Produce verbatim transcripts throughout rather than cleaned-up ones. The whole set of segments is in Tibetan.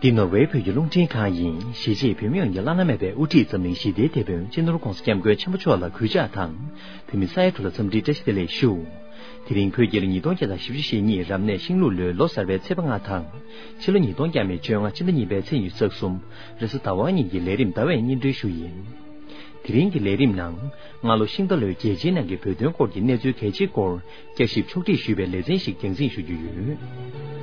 འདི་ནོར་ཝེ་བོད་ཀྱི་རླུང་འཕྲིན་ཁང་ཡིན། གཞིས་བྱེས་བོད་མི་ཡོངས་ཀྱི་བླ་ན་མེད་པའི་དབུ་ཁྲིད་འཛམ་གླིང་ཞི་བདེའི་དེད་དཔོན་སྤྱི་ནོར་༧གོང་ས་༧སྐྱབས་མགོན་ཆེན་པོ་མཆོག་ལ་གུས་ཕྱག་དང་། བོད་མི་ས་ཡ་དྲུག་ལ་འཚམས་འདྲིའི་བཀྲ་ཤིས་བདེ་ལེགས་ཞུ། དེ་རིང་བོད་རྒྱལ་ལོ་ཉིས་སྟོང་བརྒྱ་དང་བཞི་བཅུ་ཞེ་གཉིས་རབ་གནས་ཤིང་ལུག་ལོའི་ལོ་གསར་པའི་ཚེས་པ་ལྔ་དང་། ཕྱི་ལོ་ཉིས་སྟོང་བརྒྱ་མེད་བཅོ་ལྔ་ཕྱི་ཟླ་གཉིས་པའི་ཚེས་ཉི་ཤུ་རྩ་གསུམ་རེས་གཟའ་ཟླ་བ་ཉིན་གྱི་ལས་རིམ་ཟླ་བས་སྙན་སྒྲོན་ཞུ་ཡིན། དེ་རིང་གི་ལས་རིམ་ནང་། སྔ་ལོ་ཤིང་རྟ་ལོའི་རྒྱལ་སྤྱིའི་ནང་གི་བོད་དོན་སྐོར་གྱི་གནས་ཚུལ་གལ་ཆེའི་སྐོར་བསྐྱར་ཞིབ་ཕྱོགས་སྒྲིག་ཞུས་པའི་ལེ་ཚན་ཞིག་རྒྱང་སྲིང་ཞུ་རྒྱུ་ཡོད།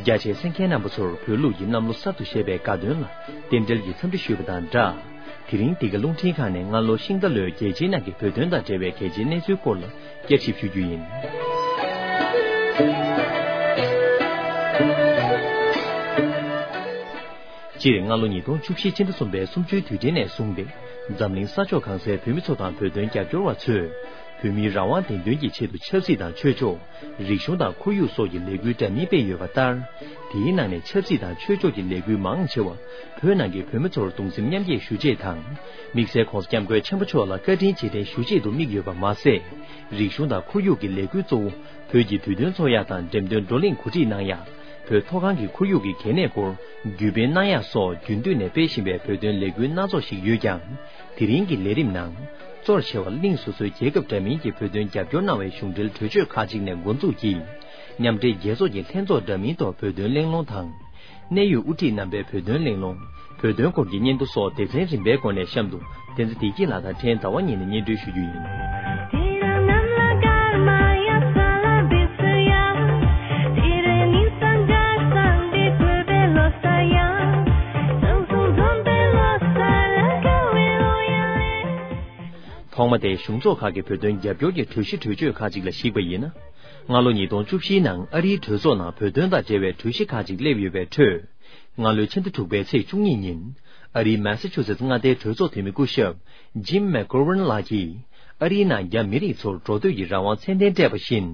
རྒྱ་ཆེའི་གསན་མཁན་རྣམ་པ་ཚོར་བོད་ལུགས་ཀྱི་གནམ་ལོ་གསར་དུ་བཞད་པའི་དགའ་སྟོན་ལ་རྟེན་འབྲེལ་གྱི་འཚམས་འདྲི་ཞུས་པ་དང་སྦྲགས། དེ་རིང་འདི་ག་རླུང་འཕྲིན་ཁང་ནས་སྔ་ལོ་ཤིང་རྟ་ལོའི་རྒྱལ་སྤྱིའི་ནང་གི་བོད་དོན་དང་འབྲེལ་བའི་གལ་ཆེའི་གནས་ཚུལ་སྐོར་ལ་བསྐྱར་ཞིབ་ཞུ་རྒྱུ་ཡིན། སྤྱིར་སྔ་ལོ་ཉིས་སྟོང་བཅུ་བཞི་ཕྱི་ཟླ་གསུམ་པའི་གསུམ་བཅུའི་དུས་དྲན་ནས་བཟུང་སྟེ། འཛམ་གླིང་ས་ཕྱོགས་གང་སའི་བོད་མི་ཚོ་དང་བོད་དོན་རྒྱབ་སྐྱོར་བ་ཚོས། བོད་མིའི་རང་དབང་བདེན་དོན་གྱི་ཆེད་དུ་ཆབ་སྲིད་དང་ཆོས་ཕྱོགས། རིག་གཞུང་དང་ཁོར་ཡུག་སོགས་ཀྱི་ལས་འགུལ་འདྲ་མིན་སྤེལ་ཡོད་པ་ལྟར། དེའི་ནང་ནས་ཆབ་སྲིད་དང་ཆོས་ཕྱོགས་ཀྱི་ལས་འགུལ་མང་ཆེ་བ། བོད་ནང་གི་བོད་མི་ཚོར་གདུང་སེམས་མཉམ་སྐྱེད་ཞུ་ཆེད་དང་། དམིགས་བསལ་༧གོང་ས་༧སྐྱབས་མགོན་ཆེན་པོ་མཆོག་ལ་བཀའ་དྲིན་རྗེས་དྲན་ཞུ་ཆེད་དུ་དམིགས་ཡོད་པ་མ་ཟད། རིག་གཞུང་དང་ཁོར་ཡུག་གི་ལས་འགུལ་གཙོ་བོ། བོད་ཀྱི་དུས་སྟོན་ཚོགས་ཡག་དང་འགྲེམས་སྟོན་བགྲོ་གླེང་གོ་སྒྲིག་གནང་ཡག་བོད་མཐོ་སྒང་གི་ཁོར་ཡུག་གི་གལ་གནད་སྐོར་བརྒྱུད་སྤེལ་གནང་ཡག་སོགས་རྒྱུན་མཐུད་ནས་སྤེལ་བཞིན་པའི་བོད་དོན་ལས་འགུལ་སྣ་ཚོགས་ཤིག་ཡོད་ཀྱང་། དེ་རིང་གི་ལས་རིམ་ནང་། གཙོར་ཆེ་བ་གླིང་སོ་སོའི་རྒྱལ་ཁབ་འདྲ་མིན་གྱི་བོད་དོན་རྒྱབ་སྐྱོར་གནང་བའི་གཞུང་འབྲེལ་གྲོས་ཆོད་ཁག་ཅིག་ནས་འགོ་འཛུགས་ཀྱིས། མཉམ་འབྲེལ་རྒྱལ་ཚོགས་ཀྱི་ལྷན་ཚོགས་འདྲ་མིན་ཐོག་བོད་དོན་གླེང་སློང་དང་། གནད་ཡོད་དབུ་ཁྲིད་རྣམ་པའི་བོད་དོན་གླེང་སློང་། བོད་དོན་སྐོར་གྱི་སྙན་ཐོ་སོགས་སྡེ་ཚན་རིམ་པའི་སྒོ་ནས་གཤམ་དུ། བསྟན་འཛིན་བདེ་སྐྱིད་ལགས་དང་འཕྲལ་ཟླ་བ་ཉིན་ནས་སྙན་སྒྲོན་ཞུ་རྒྱུ་ཡིན། ཐོག་མ་དེ་གཞུང་ཚོགས་ཁག་གི་བོད་དོན་རྒྱབ་སྐྱོར་གྱི་གྲོས་གཞི་གྲོས་ཆོད་ཁག་ཅིག་ལ་གཞིགས་པ་ཡིན་ན། སྔ་ལོ་ཉིས་སྟོང་བཅུ་བཞིའི་ནང་ཨ་རིའི་གྲོས་ཚོགས་ནང་བོད་དོན་དང་འབྲེལ་བའི་གྲོས་གཞི་ཁག་ཅིག་སླེབས་ཡོད་པའི་ཁྲོད། སྔ་ལོའི་ཕྱི་ཟླ་དྲུག་པའི་ཚེས་བཅུ་གཉིས་ཉིན། ཨ་རིའི་མེ་ས་ཆུ་སེ་ཙི་མངའ་སྡེའི་གྲོས་ཚོགས་འཐུས་མི་སྐུ་ཞབས་Jim McGovern་ལགས་ཀྱིས། ཨ་རིའི་ནང་རྒྱ་མི་རིགས་ཚོར་འགྲོ་སྡོད་ཀྱི་རང་དབང་ཚད་ལྡན་སྤྲད་པ་བཞིན།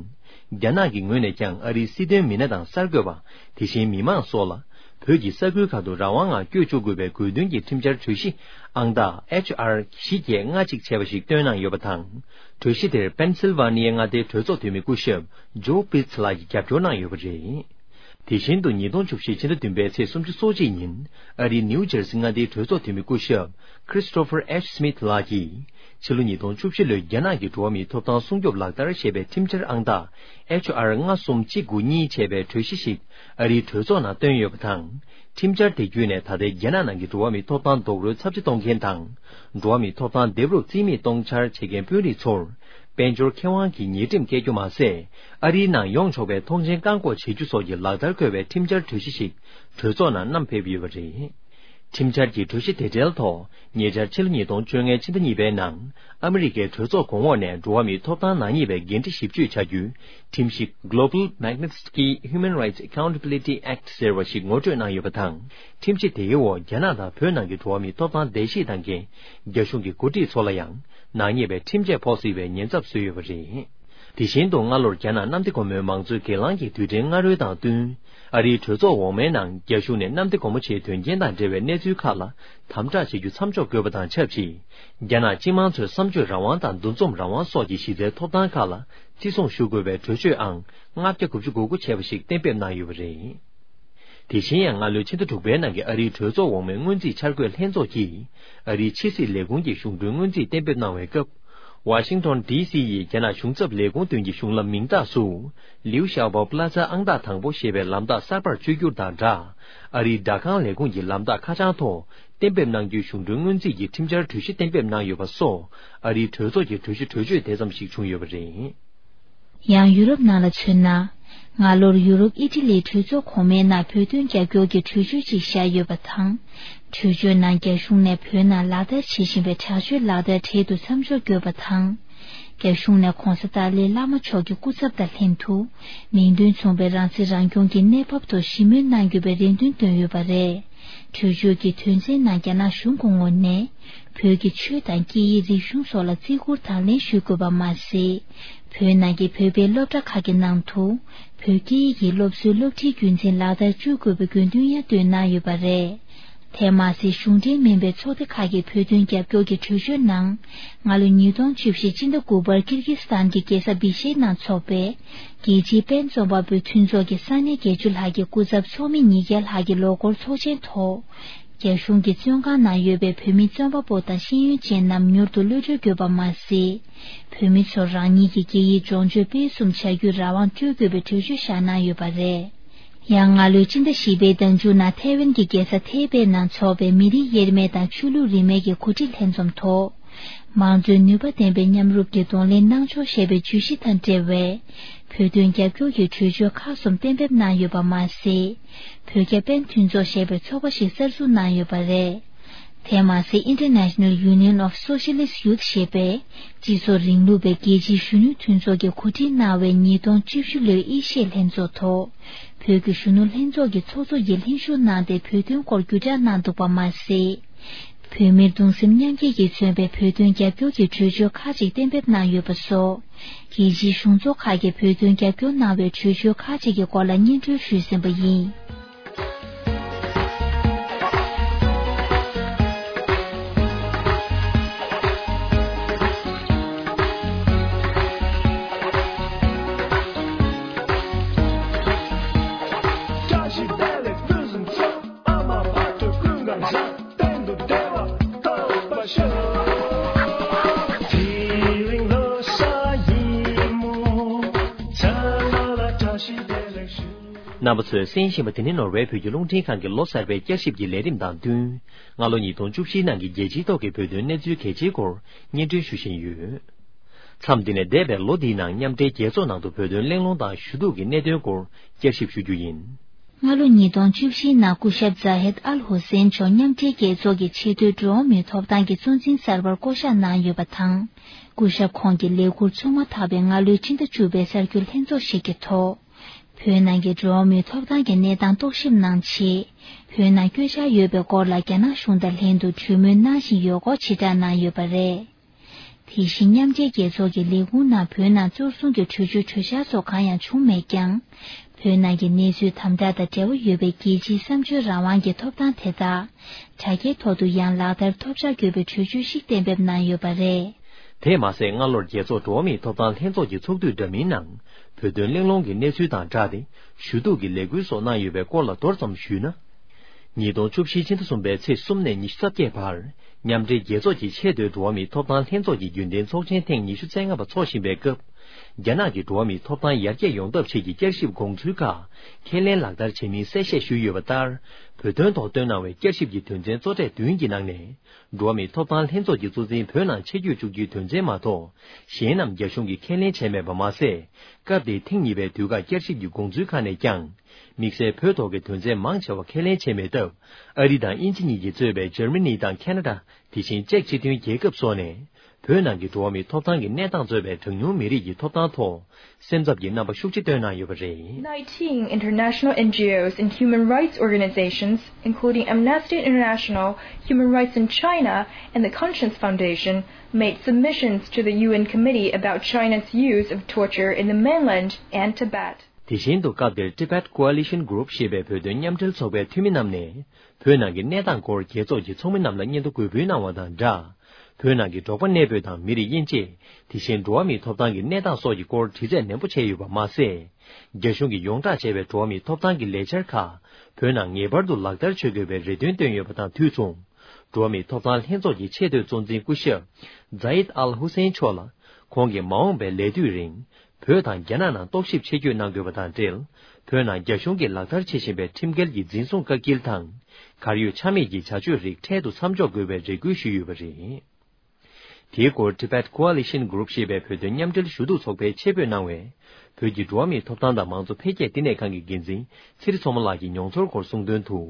རྒྱ་ནག་གི་ངོས་ནས་ཀྱང་ཨ་རིའི་སྲིད་དོན་མི་སྣ་དང་གསར་འགོད་པ། དེ་བཞིན་མི་མང་སོགས་ལ། བོད་ཀྱི་ས་ཁུལ་ཁག་ཏུ་རང་དབང་ངང་བསྐྱོད་བཅུག་དགོས་པའི་དགོས་འདུན་གྱི་ཁྲིམས་འཆར་གྲོས་གཞི་ཨང་རྟགས་H R་བཞི་བརྒྱད་ལྔ་གཅིག་བྱས་པ་ཞིག་བཏོན་གནང་ཡོད་པ་དང་། གྲོས་གཞི་དེར་པེན་སིལ་ཝ་ནི་ཡའི་མངའ་སྡེའི་གྲོས་ཚོགས་འཐུས་མི་སྐུ་ཞབས་ཇོ་པིར་ཚི་ལགས་ཀྱིས་རྒྱབ་སྐྱོར་གནང་ཡོད་པ་རེད། དེ་བཞིན་དུ་ཉིས་སྟོང་བཅུ་བཞི་ཕྱི་ཟླ་བདུན་པའི་ཚེས་སོ་གཅིག་ཉིན་ཨ་རིའི་ནིའུ་ཇར་སི་མངའ་སྡེའི་གྲོས་ཚོགས་འཐུས་མི་སྐུ་ཞབས་Christopher H Smith་ལགས་ཀྱིས། ཕྱི་ལོ་ཉིས་སྟོང་བཅུ་བཞི་ལོའི་རྒྱ་ནག་གི་འགྲོ་བ་མིའི་ཐོབ་ཐང་སྲུང་སྐྱོབ་ལག་བསྟར་ཞེས་པའི་ཁྲིམས་འཆར་ཨང་རྟགས་H R་ལྔ་གསུམ་གཅིག་དགུ་གཉིས་བྱས་པའི་གྲོས་གཞི་ཞིག་ཨ་རིའི་གྲོས་ཚོགས་ནང་བཏོན་ཡོད་པ་དང་། ཁྲིམས་འཆར་དེ་བརྒྱུད་ནས་ད་ལྟའི་རྒྱ་ནག་ནང་གི་འགྲོ་བ་མིའི་ཐོབ་ཐང་རྡོག་རོལ་ཚབས་ཆེ་གཏོང་མཁན་དང་། འགྲོ་བ་མིའི་ཐོབ་ཐང་འདེབས་རོགས་རྩིས་མེད་གཏོང་འཆར་བྱེད་མཁན་དཔོན་རིགས་ཚོར། དཔལ་འབྱོར་ཁེ་དབང་གི་ཉེས་ཁྲིམས་བཀལ་རྒྱུ་མ་ཟད། ཨ་རིའི་ནང་ཡོང་ཆོག་པའི་ཐོངས་མཆན་བཀག་འགོག་བྱེད་རྒྱུ་སོགས་ཀྱི་ལག་བསྟར་འཁོད་པའི་ཁྲིམས་འཆར་གྲོས་གཞི་ཞིག་གྲོས་ཚོགས་ནང་བསྣམས་ཕེབས་ཡོད་པ་རེད། ཁྲིམས་འཆར་གྱི་གྲོས་གཞི་དེ་འབྲེལ་ཐོག་ཉེ་ཆར་ཕྱི་ལོ་ཉིས་སྟོང་བཅོ་ལྔའི་ཕྱི་ཟླ་གཉིས་པའི་ནང་ཨ་མི་རི་ཀའི་གྲོས་ཚོགས་གོང་འོག་ནས་འགྲོ་བ་མིའི་ཐོབ་ཐང་ནག་ཉེས་པའི་འགན་འཁྲི་ཞིབ་གཅོད་བྱ་རྒྱུའི་ཁྲིམས་ཞིབ་Global Magnitsky Human Rights Accountability Act་ཟེར་བ་ཞིག་ངོ་སྤྲོད་གནང་ཡོད་པ་དང་། ཁྲིམས་གཞི་དེའི་འོག་རྒྱ་ནག་དང་བོད་ནང་གི་འགྲོ་བ་མིའི་ཐོབ་ཐང་བརྡལ་བཤིག་བཏང་མཁན་རྒྱ་གཞུང་གི་འགོ་ཁྲིད་ཚོ་ལ་ཡང་ནག་ཉེས་པའི་ཁྲིམས་ཆད་ཕོག་སྲིད་པའི་ཉེན་ཚབས་བཟོས་ཡོད་པ་རེད། དེ་བཞིན་དུ་སྔ་ལོར་རྒྱ་ནག་གནམ་བདེ་སྒོ་མོའི་མང་གཙོའི་སྒེར་ལངས་ཀྱི་དུས་དྲན་སྔ་རོལ་དང་བསྟུན། ཨ་རིའི་གྲོས་ཚོགས་འོག་མའི་ནང་རྒྱ་གཞུང་ནས་གནམ་བདེ་སྒོ་མོ་ཆེའི་དོན་རྐྱེན་དང་འབྲེལ་བའི་གནས་ཚུལ་ཁག་ལ་དམ་དྲག་བྱེད་རྒྱུ་མཚམས་འཇོག་དགོས་པ་དང་ཆབས་ཅིག་རྒྱ་ནག་སྤྱི་དམངས་ཚོའི་བསམ་སྤྱོད་རང་དབང་དང་འདུ་འཛོམས་རང་དབང་སོགས་ཀྱི་གཞི་རྩའི་ཐོབ་ཐང་ཁག་ལ་བརྩི་སྲུང་ཞུ་དགོས་པའི་གྲོས་ཆོད་ཨང་ལྔ་བརྒྱ་དགུ་བཅུ་གོ་དགུ་བྱས་པ་ཞིག་གཏན་འབེབས་གནང་ཡོད་པ་རེད། དེ་བཞིན་ཡང་སྔ་ལོའི་ཕྱི་ཟླ་དྲུག་པའི་ནང་གི་ཨ་རིའི་གྲོས་ཚོགས་འོག་མའི་སྔོན་རྩིས་འཆར་འགོད་ལྷན་ཚོགས་ཀྱིས་ཨ་རིའི་ཕྱི་སྲིད་ལས་ཁུངས་ཀྱི་གཞུང་གྲོན་སྔོན་རྩིས་གཏན་འབེབས་གནང་བའི་སྐབས། ཝ་ཤིང་ཊོན་ཌི་སི་ཡི་རྒྱ་ནག་གཞུང་ཚབ་ལས་ཁུངས་མདུན་གྱི་གཞུང་ལམ་མིང་རྟགས་སུ། ལིའུ་ཞའོ་པོ་པ་ལ་ཛ་ཨང་རྟགས་དང་པོ་ཞེས་པའི་ལམ་རྟགས་གསར་པར་བཅོས་བསྒྱུར་དང་སྦྲགས། ཨ་རིའི་སྦྲག་ཁང་ལས་ཁུངས་ཀྱི་ལམ་རྟགས་ཁ་བྱང་ཐོག་གཏན་འབེབས་གནང་རྒྱུའི་གཞུང་གྲོན་སྔོན་རྩིས་ཀྱི་ཁྲིམས་འཆར་གྲོས་གཞི་གཏན་འབེབས་གནང་ཡོད་པ་སོགས། ཨ་རིའི་གྲོས་ཚོགས་ཀྱི་གྲོས་གཞི་གྲོས་ཆོད་དེ་ཙམ་ཞིག་བྱུང་ཡོད་པ་རེད། ཡང་ཡུ་རོབ་ནང་ལ་མཚོན་ན། སྔ་ལོར་ཡུ་རོབ་ཨི་ཊ་ལིའི་གྲོས་ཚོགས་གོང་མའི་ནང་བོད་དོན་རྒྱབ་སྐྱོར་གྱི་གྲོས་ཆོད་ཅིག་བཞག་ཡོད་པ་དང་། གྲོས་ཆོད་ནང་རྒྱ་གཞུང་ནས་བོད་ནང་ལག་བསྟར་བྱེད་བཞིན་པའི་དྲག་སྤྱོད་ལག་བསྟར་འཕྲལ་དུ་མཚམས་འཇོག་དགོས་པ་དང་། རྒྱ་གཞུང་ནས་༧གོང་ས་ཏཱ་ལའི་བླ་མ་མཆོག་གི་སྐུ་ཚབ་དང་ལྷན་དུ། མིང་དོན་མཚུངས་པའི་རང་སྲིད་རང་སྐྱོང་གི་གནས་བབ་ཐོག་ཞི་མོལ་གནང་དགོས་པའི་རེ་འདུན་བཏོན་ཡོད་པ་རེད། གྲོས་ཆོད་ཀྱི་དོན་ཚན་ནང་རྒྱ་ནག་གཞུང་གི་ངོས་ནས། བོད་ཀྱི་ཆོས་དང་སྐད་ཡིག་རིག་གཞུང་སོགས་ལ་བརྩི་བཀུར་དང་ལེན་ཞུ་དགོས་པ་མ་ཟད། བོད་ནང་གི་བོད་པའི་སློབ་གྲྭ་ཁག་གི་ནང་དུ། བོད་སྐད་ཡིག་གི་སློབ་གསོའི་སློབ་ཁྲིད་རྒྱུ་མཚན་ལག་བསྟར་བཅུག་དགོས་པའི་དགོས་འདུན་ཡང་བཏོན་གནང་ཡོད་པ་རེད། དེ་མ་ཟད། གཞུང་འབྲེལ་མིན་པའི་ཚོགས་སྡེ་ཁག་གིས་བོད་དོན་རྒྱབ་སྐྱོར་གྱི་གྲོས་ཆོད་ནང་། སྔ་ལོ་ཉིས་སྟོང་བཅུ་བཞི་སྤྱི་ཟླ་དགུ་པར་ཀིར་གིས་སི་ཐན་གྱི་རྒྱལ་ས་བི་ཤེ་ནང་འཚོགས་པའི་རྒྱལ་སྤྱིའི་དཔལ་འཛོམས་པ་པོའི་མཐུན་ཚོགས་ཀྱི་ས་གནས་བརྒྱད་ཅུ་ལྷག་གི་སྐུ་ཚབ་ཚོགས་མི་ཉིས་བརྒྱ་ལྷག་གི་ལོ་འཁོར་ཚོགས་ཆེན་ཐོག་རྒྱ་གཞུང་གི་བཙོན་ཁང་ནང་ཡོད་པའི་བོད་མི་བཙོན་པ་པོ་དང་ཤེས་ཡོན་ཅན་རྣམས་མྱུར་དུ་གློད་གྲོལ་དགོས་པ་མ་ཟད། བོད་མི་ཚོར་རང་ཉིད་ཀྱི་སྐད་ཡིག་སྦྱོང་སྤྱོད་སྤེལ་གསུམ་བྱ་རྒྱུའི་རང་དབང་སྤྲོད་དགོས་པའི་གྲོས་ཆོད་བཞག་གནང་ཡོད་པ་རེད། ཡང་སྔ་ལོའི་སྤྱི་ཟླ་བཞི་པའི་ཟླ་མཇུག་ནང་ཐའེ་ཝན་གྱི་རྒྱལ་ས་ཐའེ་པེ་ནང་འཚོགས་པའི་མི་རིགས་དབྱེར་མེད་དང་ཆོས་ལུགས་རིས་མེད་ཀྱི་འགོ་ཁྲིད་ལྷན་འཛོམས་ཐོག་དམངས་གཙོའི་ནུས་པ་ལྡན་པའི་མཉམ་རུབ་ཀྱི་གདོང་ལེན་གནང་ཕྱོགས་ཞེས་པའི་བརྗོད་གཞི་དང་འབྲེལ་བའི་བོད་དོན་རྒྱབ་སྐྱོར་གྱི་གྲོས་ཆོད་ཁག་གསུམ་གཏན་འབེབས་གནང་ཡོད་པ་མ་ཟད། བོད་རྒྱ་པཎ་མཐུན་ཚོགས་ཞེས་པའི་ཚོགས་པ་ཞིག་གསར་འཛུགས་གནང་ཡོད་པ་རེད། དེ་མ་ཟད། International Union of Socialist Youth ཞེས་པས་སྤྱི་ཚོགས་རིང་ལུགས་པའི་རྒྱལ་སྤྱིའི་གཞོན་ནུའི་མཐུན་ཚོགས་ཀྱིས་གོ་སྒྲིག་གནང་བའི་ཉིས་སྟོང་བཅུ་བཞི་ལོའི་ཨེ་ཤི་ཡའི་ལྷན་ཚོགས་ཐོག་བོད་ཀྱི་གཞོན་ནུ་ལྷན་ཚོགས་ཀྱི་ཚོགས་གཙོ་ཡིས་ལྷན་ཞུགས་གནང་སྟེ་བོད་དོན་སྐོར་བརྒྱུད་བསྒྲགས་གནང་འདུག་པ་མ་ཟད། བོད་མིར་གདུང་སེམས་མཉམ་སྐྱེད་ཀྱིས་མཚོན་པའི་བོད་དོན་རྒྱབ་སྐྱོར་གྱི་གྲོས་ཆོད་ཁག་ཅིག་གཏན་འབེབས་གནང་ཡོད་པ་སོགས། རྒྱལ་སྤྱིའི་གཞུང་ཚོགས་ཁག་གིས་བོད་དོན་རྒྱབ་སྐྱོར་གནང་བའི་གྲོས་ཆོད་ཁག་ཅིག་གི་སྐོར་ལ་སྙན་སྒྲོན་ཞུས་ཟིན་པ་ཡིན། རྣམ་པ་ཚོས་གསན་བཞིན་པ་དེ་ནི་ནོར་ཝེ་བོད་ཀྱི་རླུང་འཕྲིན་ཁང་གི་ལོ་གསར་པའི་བསྐྱར་ཞིབ་ཀྱི་ལས་རིམ་དང་བསྟུན། སྔ་ལོ་ཉིས་སྟོང་བཅུ་བཞིའི་ནང་གི་རྒྱལ་སྤྱིའི་ཐོག་གི་བོད་དོན་གནས་ཚུལ་གལ་ཆེའི་སྐོར་སྙན་སྒྲོན་ཞུ་བཞིན་ཡོད། མཚམས་འདི་ནས་འདས་པའི་ལོ་འདིའི་ནང་མཉམ་འབྲེལ་རྒྱལ་ཚོགས་ནང་དུ་བོད་དོན་གླེང་སློང་དང་ཞུ་གཏུག་གི་གནད་དོན་སྐོར་བསྐྱར་ཞིབ་ཞུ་རྒྱུ་ཡིན། སྔ་ལོ་ཉིས་སྟོང་བཅུ་བཞིའི་ནང་སྐུ་ཞབས་ཛ་ཧེད་ཨལ་ཧུ་སེན་མཆོག་མཉམ་འབྲེལ་རྒྱལ་ཚོགས་ཀྱི་ཆེས་མཐོའི་འགྲོ་བ་མིའི་ཐོབ་ཐང་གི་གཙོ་འཛིན་གསར་པར་བསྐོ་གཞག་གནང་ཡོད་པ་དང་། སྐུ་ཞབས་ཁོང་གི་ལས་ཁུར་ཚུགས་མ་ཐག་པའི་སྔ་ལོའི་ཕྱི་ཟླ་བཅུ་པའི་གསར་འགྱུར་ལྷན་ཚོགས་ཤིག་གི་ཐོག་བོད་ནང་གི་འགྲོ་བ་མིའི་ཐོབ་ཐང་གི་གནས་སྟངས་རྟོག་ཞིབ་གནང་ཆེད། བོད་ནང་བསྐྱོད་འཆར་ཡོད་པའི་སྐོར་ལ་རྒྱ་ནག་གཞུང་དང་ལྷན་དུ་གྲོས་མོལ་གནང་བཞིན་ཡོད་སྐོར་ཕྱིར་བསྒྲགས་གནང་ཡོད་པ་རེད། དེ་བཞིན་མཉམ་འབྲེལ་རྒྱལ་ཚོགས་ཀྱི་ལས་ཁུངས་ནང་བོད་ནང་གཙོར་བཟུང་གི་གྲོས་ཆོད་གྲོས་འཆར་སོགས་གང་ཡང་བྱུང་མེད་ཀྱང་། བོད་ནང་གི་གནས་ཚུལ་དམ་དྲག་དང་འབྲེལ་བ་ཡོད་པའི་རྒྱལ་སྤྱིའི་བསམ་བརྗོད་རང་དབང་གི་ཐོབ་ཐང་དེ་དག་དྲ་རྒྱའི་ཐོག་ཏུ་ཡང་ལག་བསྟར་ཐོབ་བྱ་དགོས་པའི་གྲོས་ཆོད་ཞིག་གཏན་འབེབས་གནང་ཡོད་པ་རེད། དེས་མ་ཟད། སྔ་ལོར་རྒྱལ་ཚོགས་འགྲོ་བ་མིའི་ཐོབ་ཐང་ལྷན་ཚོགས་ཀྱི་ཚོགས་དུས་འདྲ་མིན་ནང་བོད་དོན་གླེང་སློང་གི་གནས་ཚུལ་དང་སྦྲགས་ཏེ་ཞུ་གཏུག་གི་ལས་འགུལ་སོགས་གནང་ཡོད་པའི་སྐོར་ལ་མདོར་ཙམ་ཞུས་ན། ཉིས་སྟོང་བཅུ་བཞི་ཕྱི་ཟླ་གསུམ་པའི་ཚེས་གསུམ་ནས་ཉི་ཤུ་རྩ་བརྒྱད་བར་མཉམ་འབྲེལ་རྒྱལ་ཚོགས་ཀྱི་ཆེས་མཐོའི་འགྲོ་བ་མིའི་ཐོབ་ཐང་ལྷན་ཚོགས་ཀྱི་རྒྱུན་ལྡན་ཚོགས་ཆེན་ཐེངས་ཉི་ཤུ་རྩ་ལྔ་པ་འཚོགས་བཞིན་པའི་སྐབས། རྒྱ་ནག་གི་འགྲོ་བ་མིའི་ཐོབ་ཐང་ཡར་རྒྱས་ཡོང་ཐབས་ཆེད་ཀྱི་བསྐྱར་ཞིབ་དགོངས་ཚུལ་ཁག་ཁས་ལེན་ལག་བསྟར་བྱས་མིན་གསལ་བཤད་ཞུས་ཡོད་པ་ལྟར། བོད་དོན་ཐོག་བཏོན་གནང་བའི་བསྐྱར་ཞིབ་ཀྱི་དོན་ཚན་གཙོ་གྲས་བདུན་གྱི་ནང་ནས། འགྲོ་བ་མིའི་ཐོབ་ཐང་ལྷན་ཚོགས་ཀྱི་གཙོ་འཛིན་བོད་ནང་ཆེད་བསྐྱོད་བཅུག་རྒྱུའི་དོན་ཚན་མ་གཏོགས། གཞན་རྣམས་རྒྱ་གཞུང་གིས་ཁས་ལེན་བྱས་མེད་པ་མ་ཟད། སྐབས་དེའི་ཐེངས་གཉིས་པའི་དུས་བཀག་བསྐྱར་ཞིབ་ཀྱི་དགོངས་ཚུལ་ཁག་ནས་ཀྱང་། དམིགས་བསལ་བོད་ཐོག་གི་དོན་ཚན་མང་ཆེ་བ་ཁས་ལེན་བྱས་མེད་སྟབས། ཨ་རི་དང་དབྱིན་ཇི་གཉིས་ཀྱིས་གཙོས་པའི་འཇར་མ་ནི་དང་ཁ་ན་ཌ། དེ་བཞིན་ཅེཀ་སྤྱི་མཐུན་རྒྱལ་ཁབ་སོགས་ནས། བོད་ནང་གི་འགྲོ་བ་མིའི་ཐོབ་ཐང་གི་གནས་སྟངས་གཙོས་པའི་གྲངས་ཉུང་མི་རིགས་ཀྱི་ཐོབ་ཐང་ཐོག་སེམས་འཚབ་ཀྱི་རྣམ་པ་ཤུགས་ཆེ་བཏོན་གནང་ཡོད་པ་རེད། Nineteen international N G Os and human rights organizations, including Amnesty International, Human Rights in China, and the Conscience Foundation, made submissions to the U N Committee about China's use of torture in the mainland and Tibet. དེ་བཞིན་དུ་སྐབས་དེར་Tibet Coalition Group ཞེས་པའི་བོད་དོན་མཉམ་འབྲེལ་ཚོགས་པའི་འཐུས་མི་རྣམས་ནས། བོད་ནང་གི་གནས་སྟངས་སྐོར་རྒྱལ་ཚོགས་ཀྱི་ཚོགས་མི་རྣམས་ལ་སྙན་ཐོ་འགོད་འབུལ་གནང་བ་དང་སྦྲགས། བོད་ནང་གི་འབྲོག་པ་གནས་སྤོས་དང་མི་རིགས་དབྱེ་འབྱེད། དེ་བཞིན་འགྲོ་བ་མིའི་ཐོབ་ཐང་གི་གནས་སྟངས་སོགས་ཀྱི་སྐོར་དྲི་རྩད་ནན་པོ་བྱས་ཡོད་པ་མ་ཟད། རྒྱ་གཞུང་གིས་ཡོངས་བསྒྲགས་བྱས་པའི་འགྲོ་བ་མིའི་ཐོབ་ཐང་གི་ལས་འཆར་ཁག་བོད་ནང་ངེས་པར་དུ་ལག་བསྟར་བྱེད་དགོས་པའི་རེ་འདུན་བཏོན་ཡོད་པ་དང་དུས་མཚུངས། འགྲོ་བ་མིའི་ཐོབ་ཐང་ལྷན་ཚོགས་ཀྱི་ཆེས་མཐོའི་གཙོ་འཛིན་སྐུ་ཞབས་Zeid Al Hussein མཆོག་ལ། ཁོང་གིས་མ་འོངས་པའི་ལས་དུས་རིང་། བོད་དང་རྒྱ་ནག་ནང་རྟོག་ཞིབ་ཆེད་བསྐྱོད་གནང་དགོས་པ་དང་འབྲེལ། བོད་ནང་རྒྱ་གཞུང་གིས་ལག་བསྟར་བྱེད་བཞིན་པའི་ཁྲིམས་འགལ་གྱི་འཛིན་བཟུང་བཀག་སྐྱིལ་དང་། གར་ཡོད་ཆ་མེད་ཀྱི་བྱ་སྤྱོད་རིགས་འཕྲལ་དུ་མཚམས་འཇོག་དགོས་པའི་རེ་སྐུལ་ཞུས་ཡོད་པ་རེད། དེའི་སྐོར་Tibet Coalition Group ཞེས་པའི་བོད་དོན་མཉམ་འབྲེལ་ཞུ་གཏུག་ཚོགས་པས་ཆེད་འབོད་གནང་བའི། བོད་ཀྱི་འགྲོ་བ་མིའི་ཐོབ་ཐང་དང་མང་གཙོ་འཕེལ་རྒྱས་བསྟི་གནས་ཁང་གི་འགན་འཛིན་ཚེ་རིང་མཚོ་མོ་ལགས་ཀྱི་མྱོང་ཚོར་སྐོར་གསུངས་དོན་དུ།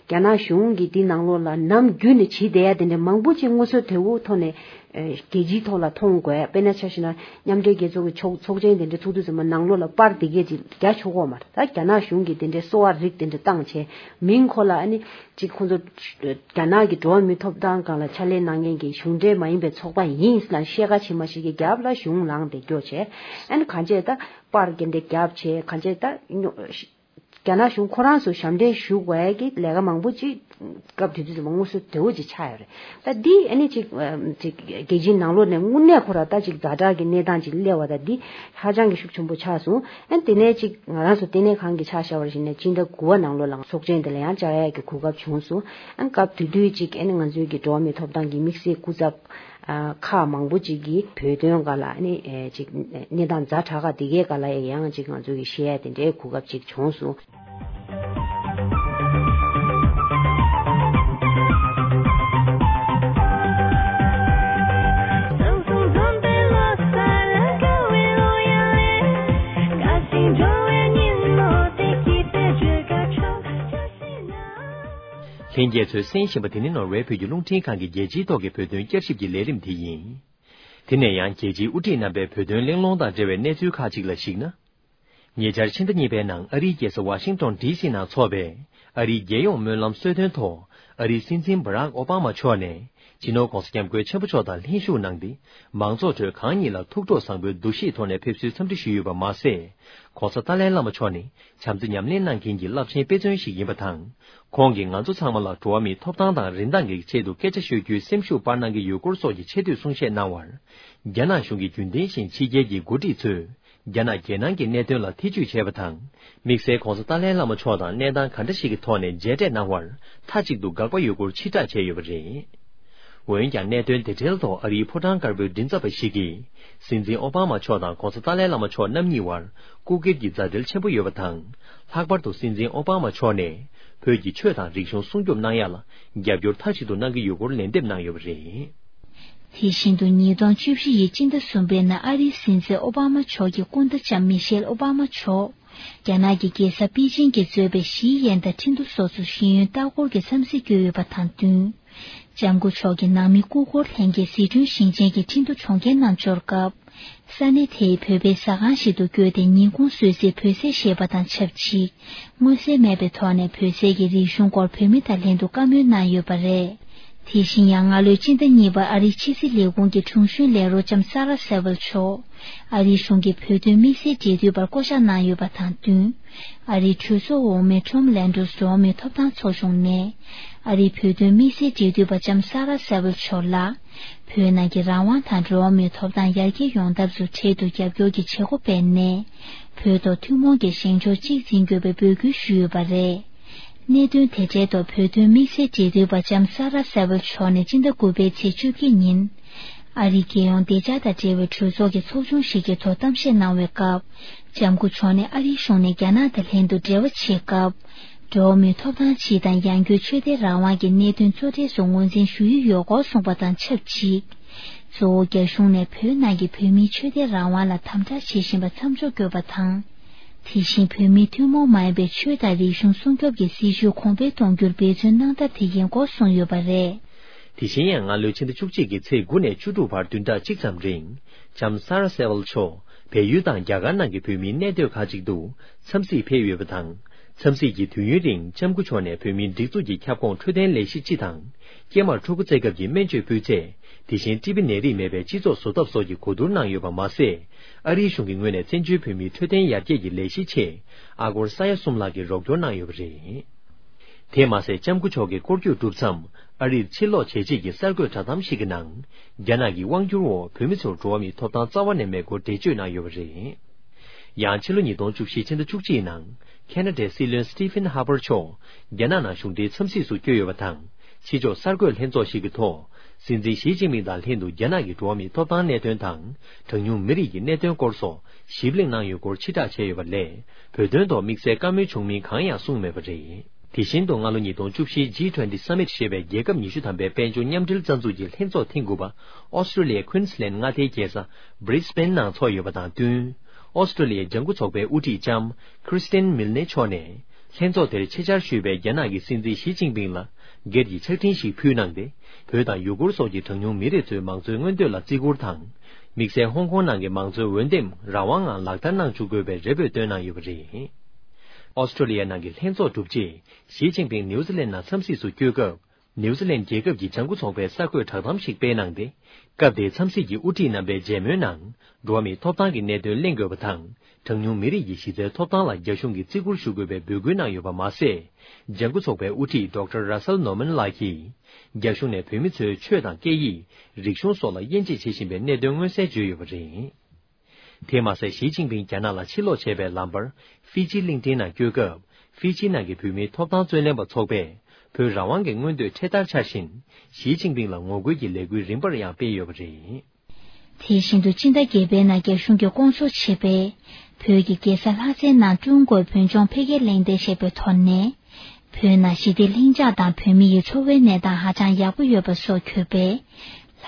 རྒྱ་ནག་གཞུང་གིས་འདི་ནང་ལོགས་ལ་ནམ་རྒྱུན་ནས་བྱེད་བསྡད་ཡ་དེ་འདྲ་མང་པོ་ཅིག་དངོས་སུ་དོན་དངོས་ཐོག་ནས་རྒྱལ་སྤྱིའི་ཐོག་ལ་མཐོང་དགོས། དཔེར་ན་ཆ་བཞག་ན་མཉམ་འབྲེལ་རྒྱལ་ཚོགས་ཀྱི་ཚོགས་ཚོགས་ཆེན་དེ་འདྲ་ཚོགས་དུས་ཙམ་པ་ནང་ལོགས་ལ་པར་དེ་གས་ཅིག་རྒྱག་ཆོག་གོ་མ་རེད། ད་རྒྱ་ནག་གཞུང་གིས་དེ་འདྲའི་གསོ་བ་རིགས་དེ་འདྲ་བཏང་བྱས་མིང་ཁོ་ལ་ཨ་ནི་ཅིག་ཁོང་ཚོ་རྒྱ་ནག་གི་འགྲོ་བ་མིའི་ཐོབ་ཐང་སྒང་ལ་ཕྱག་ལས་གནང་མཁན་གྱི་གཞུང་འབྲེལ་མ་ཡིན་པའི་ཚོགས་པ་ཡིན་ལ་བཤད་ཁ་ཇི་མ་ཞིག་གི་རྒྱབ་ལ་གཞུང་ལངས་ཏེ་སྐྱོ་བྱས་ཨ་ནི་གང་བྱས་ད་པར་དེ་འདྲ་རྒྱབ་བྱས་གང་བྱས་ད། རྒྱ་ནག་གཞུང་ཁོ་རང་ཚོ་ཞབས་འདྲེན་ཞུ་དགོས་ཡ་གི་ལས་ཀ་མང་པོ་ཅིག་སྐབས་དེ་དུས་ཙམ་པ་དངོས་སུ་བདེ་བོ་ཅིག་ཆགས་ཡོད་རེད། ད་འདི་ཨ་ནི་ཅིག་ཅིག་རྒྱལ་སྤྱིའི་ནང་ལོགས་ནས་དངོས་གནས་ཁོ་རང་ད་ཅིག་ཛ་དྲག་གི་གནས་སྟངས་ཅིག་སླེབས་པ་ད་འདི་ཧ་ཅང་གི་ཤུགས་ཆེན་པོ་ཆགས་སོང་། ཨ་ནི་དེ་ནས་ཅིག་ང་རང་ཚོ་ལྟེ་གནས་ཁང་གི་ཆ་བཞག་པར་བྱས་ན་སྤྱི་ཟླ་དགུ་པ་ནང་ལོགས་ལ་ཚོགས་ཆེན་དེ་ལ་ཡང་བཅར་ཡ་གི་གོ་སྐབས་བྱུང་སོང་། ཨ་ནི་སྐབས་དེ་དུས་ཅིག་ཨ་ནི་ང་ཚོའི་གི་འགྲོ་བ་མིའི་ཐོབ་ཐང་གི་དམིགས་བསལ་སྐུ་ཚབ་ཨ་ཁག་མང་པོ་ཅིག་གིས་བོད་དོན་སྒང་ལ་ཨ་ནི་ཨེ་ཅིག་གནས་སྟངས་ཛ་དྲག་ཁག་དེ་གའི་སྒང་ལ་ཡང་ཅིག་ང་ཚོ་གི་བཤད་ཡ་དེ་འདྲའི་གོ་སྐབས་ཅིག་བྱུང་སོང་། ལྷན་རྒྱས་ཚོས་གསན་བཞིན་པ་དེ་ནི་ནོར་ཝེ་བོད་ཀྱི་རླུང་འཕྲིན་ཁང་གི་རྒྱལ་སྤྱིའི་ཐོག་གི་བོད་དོན་བསྐྱར་ཞིབ་ཀྱི་ལས་རིམ་དེ་ཡིན། དེ་ནས་ཡང་རྒྱལ་སྤྱིའི་དབུ་ཁྲིད་རྣམ་པས་བོད་དོན་གླེང་སློང་དང་འབྲེལ་བའི་གནས་ཚུལ་ཁག་ཅིག་ལ་གཞིགས་ན། ཉེ་ཆར་ཕྱི་ཟླ་གཉིས་པའི་ནང་ཨ་རིའི་རྒྱལ་ས་ཝ་ཤིང་ཏོན་ཌི་སི་ནང་འཚོགས་པའི་ཨ་རིའི་རྒྱལ་ཡོངས་སྨོན་ལམ་གསོལ་སྟོན་ཐོག་ཨ་རིའི་སྲིད་འཛིན་བྷ་རག་ཨོ་བྷ་མ་མཆོག་ནས་སྤྱི་ནོར་༧གོང་ས་༧སྐྱབས་མགོན་ཆེན་པོ་མཆོག་དང་ལྷན་ཞུགས་གནང་སྟེ། མང་ཚོགས་ཁྲོད་གང་ཉིད་ལ་ཐུགས་སྤྲོ་བཟང་པོའི་འདུ་ཤེས་ཐོག་ནས་ཕེབས་བསུའི་འཚམས་འདྲི་ཞུས་ཡོད་པ་མ་ཟད། ༧གོང་ས་ཏཱ་ལའི་བླ་མ་མཆོག་ནི་བྱམས་བརྩེ་ཉམས་ལེན་གནང་མཁན་གྱི་རླབས་ཆེན་དཔེ་མཚོན་ཞིག་ཡིན་པ་དང་། ཁོང་གིས་ང་ཚོ་ཚང་མ་ལ་འགྲོ་བ་མིའི་ཐོབ་ཐང་དང་རིན་ཐང་གི་ཆེད་དུ་སྐད་ཆ་ཤོད་རྒྱུའི་སེམས་ཤུགས་སྤར་གནང་གི་ཡོད་སྐོར་སོགས་ཀྱི་ཆེ་བསྟོད་གསུང་བཤད་གནང་བར། རྒྱ་ནག་གཞུང་གིས་རྒྱུན་ལྡན་བཞིན་ཕྱི་རྒྱལ་གྱི་འགོ་ཁྲིད་ཚོས་རྒྱ་ནག་རྒྱལ་ནང་གི་གནད་དོན་ལ་ཐེ་བྱུས་བྱས་པ་དང་། དམིགས་བསལ་༧གོང་ས་ཏཱ་ལའི་བླ་མ་མཆོག་དང་གནས་སྟངས་ག་འདྲ་ཞིག་གི་ཐོག་ནས་མཇལ་འཕྲད་གནང་བར་མཐའ་གཅིག་ཏུ་དགག་པ་ཡོད་སྐོར་ཕྱིར་བསྒྲགས་བྱས་ཡོད་པ་རེད། འོན་ཀྱང་གནད་དོན་དེ་འབྲེལ་ཐོག་ཨ་རིའི་ཕོ་བྲང་དཀར་པོའི་མགྲིན་ཚབ་པ་ཞིག་གིས། སྲིད་འཛིན་ཨོ་བྷ་མ་མཆོག་དང་༧གོང་ས་ཏཱ་ལའི་བླ་མ་མཆོག་རྣམ་གཉིས་བར་སྐུ་སྒེར་གྱི་མཛའ་འབྲེལ་ཆེན་པོ་ཡོད་པ་དང་། ལྷག་པར་དུ་སྲིད་འཛིན་ཨོ་བྷ་མ་མཆོག་ནས་བོད་ཀྱི་ཆོས་དང་རིག་གཞུང་སྲུང་སྐྱོབ་གནང་ཡག་ལ་རྒྱབ་སྐྱོར་མཐའ་གཅིག་ཏུ་གནང་གི་ཡོད་སྐོར་ལན་འདེབས་གནང་ཡོད་པ་རེད། དེ་བཞིན་དུ་ཉིས་སྟོང་བཅུ་བཞི་ཡི་སྤྱི་ཟླ་གསུམ་པའི་ནང་ཨ་རིའི་སྲིད་འཛིན་ཨོ་བྷ་མ་མཆོག་གི་སྐུ་ཟླ་ལྕམ་མི་ཤེལ་ཨོ་བྷ་མ་མཆོག་རྒྱ་ནག་གི་རྒྱལ་ས་པེ་ཅིང་གིས་གཙོས་པའི་ཞི་ཡན་དང་ཁྲིན་ཏུ་སོགས་སུ་ཤེས་ཡོན་ལྟ་སྐོར་གྱི་འཚམས་གཟིགས་བསྐྱོད་ཡོད་པ་དང་བསྟུན། ལྕམ་སྐུ་མཆོག་གིས་ནང་མི་སྐུ་འཁོར་ལྷན་རྒྱས་ཟི་ཁྲོན་ཞིང་ཆེན་གྱི་ཁྲིན་ཏུ་གྲོང་ཁྱེར་ནང་འབྱོར་སྐབས། ས་གནས་དེའི་བོད་པའི་ཟ་ཁང་ཞིག་ཏུ་བསྐྱོད་དེ་ཉིན་གུང་གསོལ་ཚིགས་བོད་ཟས་བཞེས་པ་དང་ཆབས་ཅིག་མངོན་གསལ་མེད་པའི་ཐོག་ནས་བོད་ཟས་ཀྱི་རིག་གཞུང་སྐོར་བོད་མི་དང་ལྷན་དུ་བཀའ་མོལ་གནང་ཡོད་པ་རེད། དེ་བཞིན་ཡང་སྔ་ལོའི་སྤྱི་ཟླ་གཉིས་པར་ཨ་རིའི་ཕྱི་སྲིད་ལས་ཁུངས་ཀྱི་དྲུང་གཞོན་ལས་རོགས་ལྕམ་ས་ར་སེ་ཝེལ་མཆོག་ཨ་རིའི་གཞུང་གི་བོད་དོན་དམིགས་བསལ་འབྲེལ་མཐུད་པར་བསྐོ་གཞག་གནང་ཡོད་པ་དང་བསྟུན། ཨ་རིའི་གྲོས་ཚོགས་འོག་མའི་ཁྲོམ་ལན་ཌོས་འགྲོ་བ་མིའི་ཐོབ་ཐང་ཚོགས་ཆུང་ནས། ཨ་རིའི་བོད་དོན་དམིགས་བསལ་འབྲེལ་མཐུད་པ་ལྕམ་ས་ར་སེ་ཝེལ་མཆོག་ལ། བོད་ནང་གི་རང་དབང་དང་འགྲོ་བ་མིའི་ཐོབ་ཐང་ཡར་རྒྱས་ཡོང་ཐབས་སུ་འཕྲལ་དུ་རྒྱབ་སྐྱོར་གྱི་བྱེད་སྒོ་སྤེལ་ནས། བོད་ཐོག་ཐུན་མོང་གི་བཞེངས་ཕྱོགས་གཅིག་འཛིན་དགོས་པའི་འབོད་སྐུལ་ཞུས་ཡོད་པ་རེད། གནད་དོན་དེ་འབྲེལ་ཐོག་བོད་དོན་དམིགས་བསལ་འབྲེལ་མཐུད་པ་ལྕམ་ས་ར་སེ་ཝེལ་མཆོག་ནས་སྤྱི་ཟླ་དགུ་པའི་ཚེས་བཅོ་བརྒྱད་ཉིན། ཨ་རིའི་རྒྱལ་ཡོངས་བདེ་འཇགས་དང་འབྲེལ་བའི་གྲོས་ཚོགས་ཀྱི་ཚོགས་ཆུང་ཞིག་གི་ཐོག་གཏམ་བཤད་གནང་བའི་སྐབས། ལྕམ་སྐུ་མཆོག་ནས་ཨ་རིའི་གཞུང་ནས་རྒྱ་ནག་དང་ལྷན་དུ་འབྲེལ་བ་བྱེད་སྐབས། འགྲོ་བ་མིའི་ཐོབ་ཐང་སྤྱི་དང་ཡང་སྒོས་ཆོས་དད་རང་དབང་གི་གནད་དོན་གཙོ་གྲས་སུ་ངོས་འཛིན་ཞུ་ཡི་ཡོད་སྐོར་གསུངས་པ་དང་ཆབས་ཅིག་གཙོ་བོ་རྒྱ་གཞུང་ནས་བོད་ནང་གི་བོད་མིའི་ཆོས་དད་རང་དབང་ལ་དམ་དྲག་བྱེད་བཞིན་པ་མཚམས་འཇོག་དགོས་པ་དང་། དེ་བཞིན་བོད་མིའི་ཐུན་མོང་མ་ཡིན་པའི་ཆོས་དང་རིག་གཞུང་སྲུང་སྐྱོབ་ཀྱི་སྲིད་བྱུས་གོང་འཕེལ་གཏོང་རྒྱུར་འབད་བརྩོན་གནང་ཐབས་དེ་ཡིན་སྐོར་གསུངས་ཡོད་པ་རེད། དེ་བཞིན་ཡང་སྔ་ལོའི་ཕྱི་ཟླ་བཅུ་གཅིག་གི་ཚེས་དགུ་ནས་བཅུ་དྲུག་བར་བདུན་ཕྲག་གཅིག་ཙམ་རིང་། ལྕམ་ས་ར་སེ་ཝལ་མཆོག་བལ་ཡུལ་དང་རྒྱ་གར་ནང་གི་བོད་མིའི་གནས་སྡོད་ཁག་ཅིག་ཏུ་འཚམས་གཟིགས་ཕེབས་ཡོད་པ་དང་། འཚམས་གཟིགས་ཀྱི་དུས་ཡུན་རིང་ལྕམ་སྐུ་མཆོག་ནས་བོད་མིའི་སྒྲིག་འཛུགས་ཀྱི་ཁྱབ་ཁོངས་འཕྲོད་བསྟེན་ལས་གཞི་སྤྱི་དང་། སྐྱེས་མར་ཕྲུ་གུ་བཙའ་སྐབས་ཀྱི་སྨན་བཅོས་སྤུས་ཚད། དེ་བཞིན་ཊི་བི་ནད་རིགས་མེད་པའི་སྤྱི་ཚོགས་བཟོ་ཐབས་སོགས་ཀྱི་གོ་བསྡུར་གནང་ཡོད་པ་མ་ཟད། ཨ་རིའི་གཞུང་གི་ངོས་ནས་བཙན་བྱོལ་བོད་མིའི་འཕྲོད་བསྟེན་ཡར་རྒྱས་ཀྱི་ལས་གཞིའི་ཆེད་ཨ་སྒོར་ས་ཡ་གསུམ་ལྷག་གི་རོགས་སྐྱོར་གནང་ཡོད་པ་རེད། དེ་མ་ཟད་ལྕམ་སྐུ་མཆོག་གི་སྐོར་སྐྱོད་གྲུབ་མཚམས་ཨ་རིར་ཕྱིར་ལོག་བྱས་རྗེས་ཀྱི་གསར་འགོད་བསྒྲགས་གཏམ་ཞིག་གི་ནང་། རྒྱ་ནག་གི་དབང་སྒྱུར་འོག་བོད་མི་ཚོར་འགྲོ་བ་མིའི་ཐོབ་ཐང་རྩ་བ་ནས་མེད་སྐོར་འགྲེལ་བརྗོད་གནང་ཡོད་པ་རེད། ཡང་ཕྱི་ལོ་ཉིས་སྟོང་བཅུ་བཞི་ཕྱི་ཟླ་བཅུ་གཅིག་ནང་། ཁེ་ན་ཌའི་སྲིད་བློན་སི་ཊི་ཕིན་ཧ་པར་མཆོག་རྒྱ་ནག་ནང་གཞུང་འབྲེལ་འཚམས་གཟིགས་སུ་བསྐྱོད་ཡོད་པ་དང་། ཕྱི་ཕྱོགས་གསར་འགོད་ལྷན་ཚོགས་ཤིག་གི་ཐོག་སྲིད་འཛིན་ཞི་ཅིན་ཕིང་དང་ལྷན་དུ་རྒྱ་ནག་གི་འགྲོ་བ་མིའི་ཐོབ་ཐང་གནད་དོན་དང་། གྲངས་ཉུང་མི་རིགས་ཀྱི་གནད་དོན་སྐོར་སོགས་ཞིབ་གླེང་གནང་ཡོད་སྐོར་ཕྱིར་བསྒྲགས་བྱས་ཡོད་པ་ལས། བོད་དོན་ཐོག་དམིགས་བསལ་བཀའ་མོལ་བྱུང་མིན་གང་ཡང་གསུངས་མེད་པ་རེད། དེ་བཞིན་དུ་སྔ་ལོ་ཉིས་སྟོང་བཅུ་བཞིའི་ཇི་ཊུ་ཝེན་ཊི་སམ་མིཊ་ཞེས་པའི་རྒྱལ་ཁབ་ཉི་ཤུ་ཐམ་པའི་དཔལ་འབྱོར་མཉམ་འབྲེལ་རྩ་འཛུགས་ཀྱི་ལྷན་ཚོགས་ཐེངས་དགུ་པ་ཨོ་སི་ཀྲོ་ལི་ཡའི་ཁུན་སི་ལན་མངའ་སྡེའི་རྒྱལ་ས་བྷི་རི་སི་བྷེན་ནང་འཚོགས་ཡོད་པ་དང་བསྟུན། ཨོ་སི་ཀྲོ་ལི་ཡའི་ལྗང་ཁུ་ཚོགས་པའི་དབུ་ཁྲིད་ལྕམ་ཁྲི་སི་ཏན་མིལ་ནེ་མཆོག་ནས། ལྷན་ཚོགས་དེར་ཆེད་བཅར་ཞུས་པའི་རྒྱ་ནག་གི་སྲིད་འཛིན་ཞི་ཅིན་ཕིང་ལ་སྒེར་གྱི་ཕྱག་འཕྲིན་ཞིག་ཕུལ་གནང་སྟེ། བོད་དང་ཡུ་གུར་སོགས་ཀྱི་གྲངས་ཉུང་མི་རིགས་ཚོའི་མང་གཙོའི་མངོན་འདོད་ལ་བརྩི་བཀུར་དང་། དམིགས་བསལ་ཧོང་ཀོང་ནང་གི་མང་གཙོའི་འོས་འདེམས་རང་དབང་ངང་ལག་བསྟར་གནང་བཅུག་དགོས་པའི་རེ་འབོད་བཏོན་གནང་ཡོད་པ་རེད། ཨོ་སི་ཀྲོ་ལི་ཡ་ནང་གི་ལྷན་ཚོགས་གྲུབ་རྗེས། ཞི་ཅིན་ཕིང་ནིའུ་ཛི་ལན་ནང་འཚམས་གཟིགས་སུ་བསྐྱོད་སྐབས། ནིའུ་ཛི་ལན་རྒྱལ་ཁབ་ཀྱི་ལྗང་ཁུ་ཚོགས་པས་གསར་འགོད་བསྒྲགས་གཏམ་ཞིག་སྤེལ་གནང་སྟེ། སྐབས་དེའི་འཚམས་གཟིགས་ཀྱི་དབུ་ཁྲིད་རྣམ་པའི་མཇལ་མོལ་ནང་། འགྲོ་བ་མིའི་ཐོབ་ཐང་གི་གནད་དོན་གླེང་དགོས་པ་དང་། གྲངས་ཉུང་མི་རིགས་ཀྱི་གཞི་རྩའི་ཐོབ་ཐང་ལ་རྒྱ་གཞུང་གིས་བརྩི་བཀུར་ཞུ་དགོས་པའི་འབོད་སྐུལ་གནང་ཡོད་པ་མ་ཟད། ལྗང་ཁུ་ཚོགས་པའི་དབུ་ཁྲིད་ཌོག་ཊར་Russell Norman་ལགས་ཀྱིས། རྒྱ་གཞུང་ནས་བོད་མི་ཚོའི་ཆོས་དང་སྐད་ཡིག་རིག་གཞུང་སོགས་ལ་དབྱེ་འབྱེད་བྱེད་བཞིན་པའི་གནད་དོན་མངོན་གསལ་བརྗོད་ཡོད་པ་རེད། དེས་མ་ཟད། ཞི་ཅིན་ཕིང་རྒྱ་ནག་ལ་ཕྱིར་ལོག་བྱས་པའི་ལམ་བར། ཧྥི་ཇི་གླིང་ཕྲན་ནང་བསྐྱོད་སྐབས། ཧྥི་ཇི་ནང་གི་བོད་མིའི་ཐོབ་ཐང་རྩོད་ལེན་པ་ཚོགས་པས། བོད་རང་དབང་གི་མངོན་འདོད་འཕྲེད་དར་འཕྱར་བཞིན། ཞི་ཅིན་ཕིང་ལ་ངོ་རྒོལ་གྱི་ལས་འགུལ་རིམ་པར་ཡང་སྤེལ་ཡོད་པ་རེད། དེ་བཞིན་དུ། སྤྱི་ཟླ་བརྒྱད་པའི་ནང་རྒྱ་གཞུང་གིས་བསྐོང་ཚོགས་བྱས་པའི་བོད་ཀྱི་རྒྱལ་ས་ལྷ་སའི་ནང་ཀྲུང་གོའི་བོད་ལྗོངས་འཕེལ་རྒྱས་གླེང་སྟེགས་ཞེས་པའི་ཐོག་ནས། བོད་ནང་ཞི་བདེ་ལྷིང་འཇགས་དང་བོད་མི་ཡི་འཚོ་བའི་གནས་སྟངས་ཧ་ཅང་ཡག་པོ་ཡོད་པ་སོགས་བཀོད་པའི།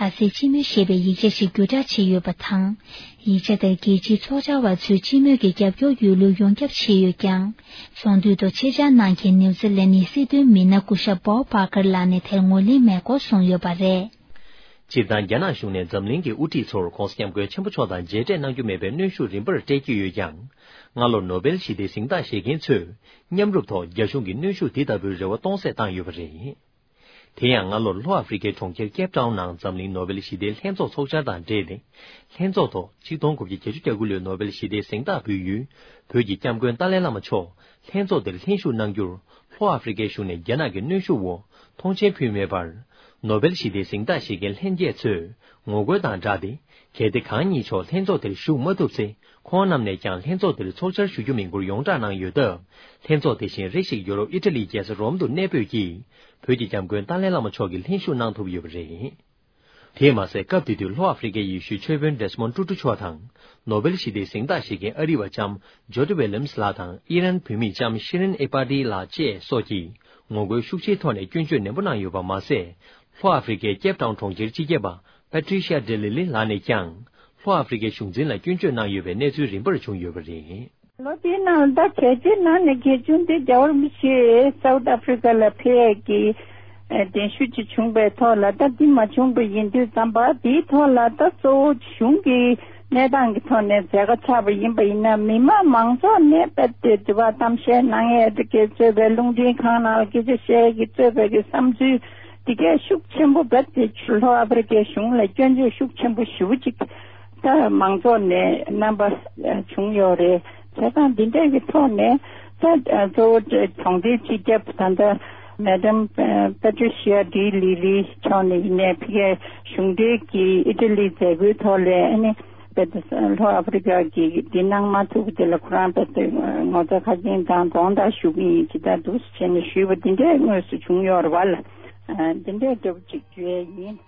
ལྷ་སའི་སྤྱི་མོས་ཞེས་པའི་ཡིག་ཆ་ཞིག་བརྒྱུད་བསྒྲགས་བྱས་ཡོད་པ་དང་། ཡིག་ཆ་དེར་རྒྱལ་སྤྱིའི་ཚོགས་བཅར་བ་ཚོས་སྤྱི་མོས་ཀྱི་རྒྱབ་སྐྱོར་ཡོད་ལུགས་ཡོངས་ཁྱབ་བྱས་ཡོད་ཀྱང་། ཚོགས་འདུའི་ཐོག་ཆེད་བཅར་གནང་མཁན་ནིའུ་ཛི་ལན་ནི་སྲིད་དོན་མི་སྣ་སྐུ་ཞབས་Bob Barker་ལགས་ནས་དེར་ངོས་ལེན་མེད་སྐོར་གསུངས་ཡོད་པ་རེད། སྤྱིར་བཏང་རྒྱ་ནག་གཞུང་ནས་འཛམ་གླིང་གི་དབུ་ཁྲིད་ཚོར་༧གོང་ས་༧སྐྱབས་མགོན་ཆེན་པོ་མཆོག་དང་མཇལ་འཕྲད་གནང་རྒྱུ་མེད་པའི་གནོན་ཤུགས་རིམ་པར་སྤྲད་ཀྱི་ཡོད་ཀྱང་། སྔ་ལོར་ནོ་བེལ་ཞི་བདེའི་གཟེངས་རྟགས་བཞེས་མཁན་ཚོས་མཉམ་རུབ་ཐོག་རྒྱ་གཞུང་གི་གནོན་ཤུགས་འདི་ལྟ་བུའི་རེ་བ་སྟོང་ཟད་བཏང་ཡོད་པ་རེད། དེ་ཡང་། སྔ་ལོར་ལྷོ་ཨ་ཧྥི་རི་ཀའི་གྲོང་ཁྱེར་ཀེབ་ཊའུན་ནང་འཛམ་གླིང་ནོ་བེལ་ཞི་བདེའི་ལྷན་ཚོགས་ཚོགས་འཆར་དང་འབྲེལ་ཏེ། ལྷན་ཚོགས་ཐོག་ཆིག་སྟོང་དགུ་བརྒྱ་གྱ་དགུ་ལོའི་ནོ་བེལ་ཞི་བདེའི་གཟེངས་རྟགས་འབུལ་ཡུལ་བོད་ཀྱི་སྐྱབས་མགོན་ཏཱ་ལའི་བླ་མ་མཆོག་ལྷན་ཚོགས་དེར་ལྷན་ཞུགས་གནང་རྒྱུར། ལྷོ་ཨ་ཧྥི་རི་ཀའི་གཞུང་ནས་རྒྱ་ནག་གི་གནོན་ཤུགས་འོག་མཐོང་མཆན་ཕུལ་མེད་པར། ནོ་བེལ་ཞི་བདེའི་གཟེངས་རྟགས་བཞེས་མཁན་ལྷན་རྒྱས་ཚོས་ངོ་རྒོལ་དང་སྦྲགས་ཏེ། གལ་ཏེ་གང་ཉིད་མཆོག་ལྷན་ཚོགས་དེར་ཞུགས་མ་ཐུབ་ཚེ། ཁོང་རྣམས་ནས་ཀྱང་ལྷན་ཚོགས་དེར་ཚོགས་བཅར་ཞུ་རྒྱུ་མིན་སྐོར་ཡོངས་བསྒྲགས་གནང་ཡོད་སྟབས། ལྷན་ཚོགས་དེ་བཞིན་རེ་ཞིག་ཡུ་རོབ་ཨི་ཊ་ལིའི་རྒྱལ་ས་རོམ་དུ་གནས་སྤོས་ཀྱིས། བོད་ཀྱི་སྐྱབས་མགོན་ཏཱ་ལའི་བླ་མ་མཆོག་གིས་ལྷན་ཞུགས་གནང་ཐུབ་ཡོད་པ་རེད། དེས་མ་ཟད། སྐབས་དེ་དུས་ལྷོ་ཨ་ཧྥི་རི་ཀའི་ཡེ་ཤུའི་ཆོས་དཔོན་ཌེ་སི་མོན་ཊུ་ཊུ་མཆོག་དང་། ནོ་བེལ་ཞི་བདེའི་གཟེངས་རྟགས་བཞེས་མཁན་ཨ་རི་བ་ལྕམ་ཇོ་ཌི་ཝི་ལི་ཡམ་སི་ལགས་དང་། ཨི་རན་བུད་མེད་ལྕམ་ཤི་རིན་ཨེ་པ་ཏི་ལགས་བཅས་སོགས་ཀྱིས་ངོ་རྒོལ་ཤུགས་ཆེའི་ཐོག་ནས་སྐྱོན་བརྗོད་ནན་པོ་གནང་ཡོད་པ་མ་ཟད། ལྷོ་ཨ་ཧྥི་རི་ཀའི་ཀེབ་ཊའུན་གྲོང་ཁྱེར་སྤྱི་ཁྱབ་པ་པ་ཊི་ཤི་ཡ་ཌེ་ལི་ལི་ལགས་ནས་ཀྱང་། ལྷོ་ཨ་ཧྥི་རི་ཀའི་གཞུང་འཛིན་ལ་སྐྱོན་བརྗོད་གནང་ཡོད་པའི་གནས་ཚུལ་རིམ་པར་བྱུང་ཡོད་པ་རེད། ལོ་དེའི་ནང་ད་གལ་ཆེའི་ནང་ནས་གལ་ཆུང་དེ་རྒྱལ་བ་རིན་པོ་ཆེ་སའུ་ཐི་ཨ་ཧྥི་རི་ཀ་ལ་ཕེབས་ཡས་ཀྱི་གདན་ཞུ་ཅིག་བྱུང་པའི་ཐོག་ལ། ད་འདི་མ་བྱུང་པ་ཡིན་དུས་ཙམ་པ། འདིའི་ཐོག་ལ་ད་གཙོ་བོ་གཞུང་གི་གནས་སྟངས་ཀྱི་ཐོག་ནས་མཛད་དཀའ་ཆགས་པ་ཡིན་པ་ཡིན་ན། མི་མང་མང་ཚོགས་ནས་རྦད་དེ་དྲི་བ་གཏམ་བཤད་གནང་ཡས་དེ་གས་གཙོས་པའི། རླུང་འཕྲིན་ཁང་ནང་ལ་སྐད་ཆ་བཤད་ཡས་ཀྱི་གཙོས་པའི་གི་བསམ་ཚུལ་དེ་གས་ཤུགས་ཆེན་པོ། རྦད་དེ་ལྷོ་ཨ་ཧྥི་རི་ཀའི་གཞུང་ལ་སྐྱོན་བརྗོད་ཤུགས་ཆེན་པོ་ཞེ་པོ་ཅིག་ད་མང་ཚོགས་ནས་རྣམ་པ་བྱུང་ཡོད་རེད། བྱས་ཙང་འདི་འདྲའི་གི་ཐོག་ནས་ད་གཙོ་བོ་གྲོང་སྡེའི་སྤྱི་ཁྱབ་ད་ལྟ་མེ་ཌམ་པ་ཊི་ཤི་ཡ་ཌི་ལི་ལི་མཆོག་ནས་ཡིན་ནའི། ཕ་གིའི་གཞུང་འབྲེལ་གྱི་ཨི་ཊ་ལིའི་མཛད་སྒོའི་ཐོག་ལ། ཨ་ནི་རྦད་དེ་ལྷོ་ཨ་ཧྥི་རི་ཀ་གིས་འདི་གནང་མ་ཐུབ་པ་དེ་ལ་ཁོ་རང་རྦད་དེ་ངོ་ཚ་ཁ་སྐྱེངས་དང་དགོངས་དག་ཞུ་གི་ཡིན་ཅེས་ད་འདུག་སེ་བྱས་ནས་ཞུས་པ་འདི་འདྲའི་དངོས་སུ་བྱུང་ཡོད་རེད་བ་ལ། འདི་འདྲའི་འདྲ་པོ་ཅིག་བརྗོད་ཡས་ཡིན།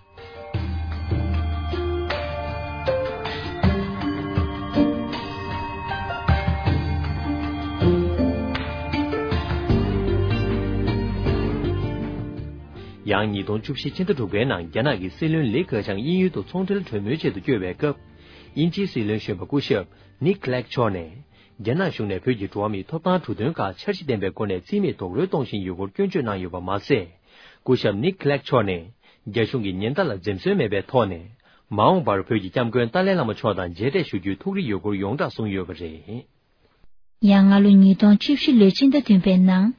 ཡང་ཉིས་སྟོང་བཅུ་བཞི་ཕྱི་ཟླ་དྲུག་པའི་ནང་རྒྱ་ནག་གི་སྲིད་བློན་ལི་ཁེ་ཆང་དབྱིན་ཡུལ་དུ་ཚོང་འབྲེལ་གྲོས་མོལ་ཆེད་དུ་བསྐྱོད་པའི་སྐབས། དབྱིན་ཇིའི་སྲིད་བློན་གཞོན་པ་སྐུ་ཞབས་ནིག་ལེག་མཆོག་ནས། རྒྱ་ནག་གཞུང་ནས་བོད་ཀྱི་འགྲོ་བ་མིའི་ཐོབ་ཐང་གྲོས་དོན་ཁག་འཆར་གཞི་ལྡན་པའི་སྒོ་ནས་རྩིས་མེད་རྡོག་རོལ་གཏོང་བཞིན་ཡོད་སྐོར་སྐྱོན་བརྗོད་གནང་ཡོད་པ་མ་ཟད། སྐུ་ཞབས་ནིག་ལེག་མཆོག་ནས། རྒྱ་གཞུང་གི་ཉེན་བརྡ་ལ་འཛེམ་ཟོན་མེད་པའི་ཐོག་ནས། མ་འོངས་པར་བོད་ཀྱི་སྐྱབས་མགོན་ཏཱ་ལའི་བླ་མ་མཆོག་དང་མཇལ་འཕྲད་ཞུ་རྒྱུའི་ཐུགས་རེ་ཡོད་སྐོར་ཡོངས་གྲགས་གསུངས་ཡོད་པ་རེད། ཡང་སྔ་ལོ་ཉིས་སྟོང་བཅུ་བཞི་ལོའི་སྤྱི་ཟླ་བདུན་པའི་ནང་།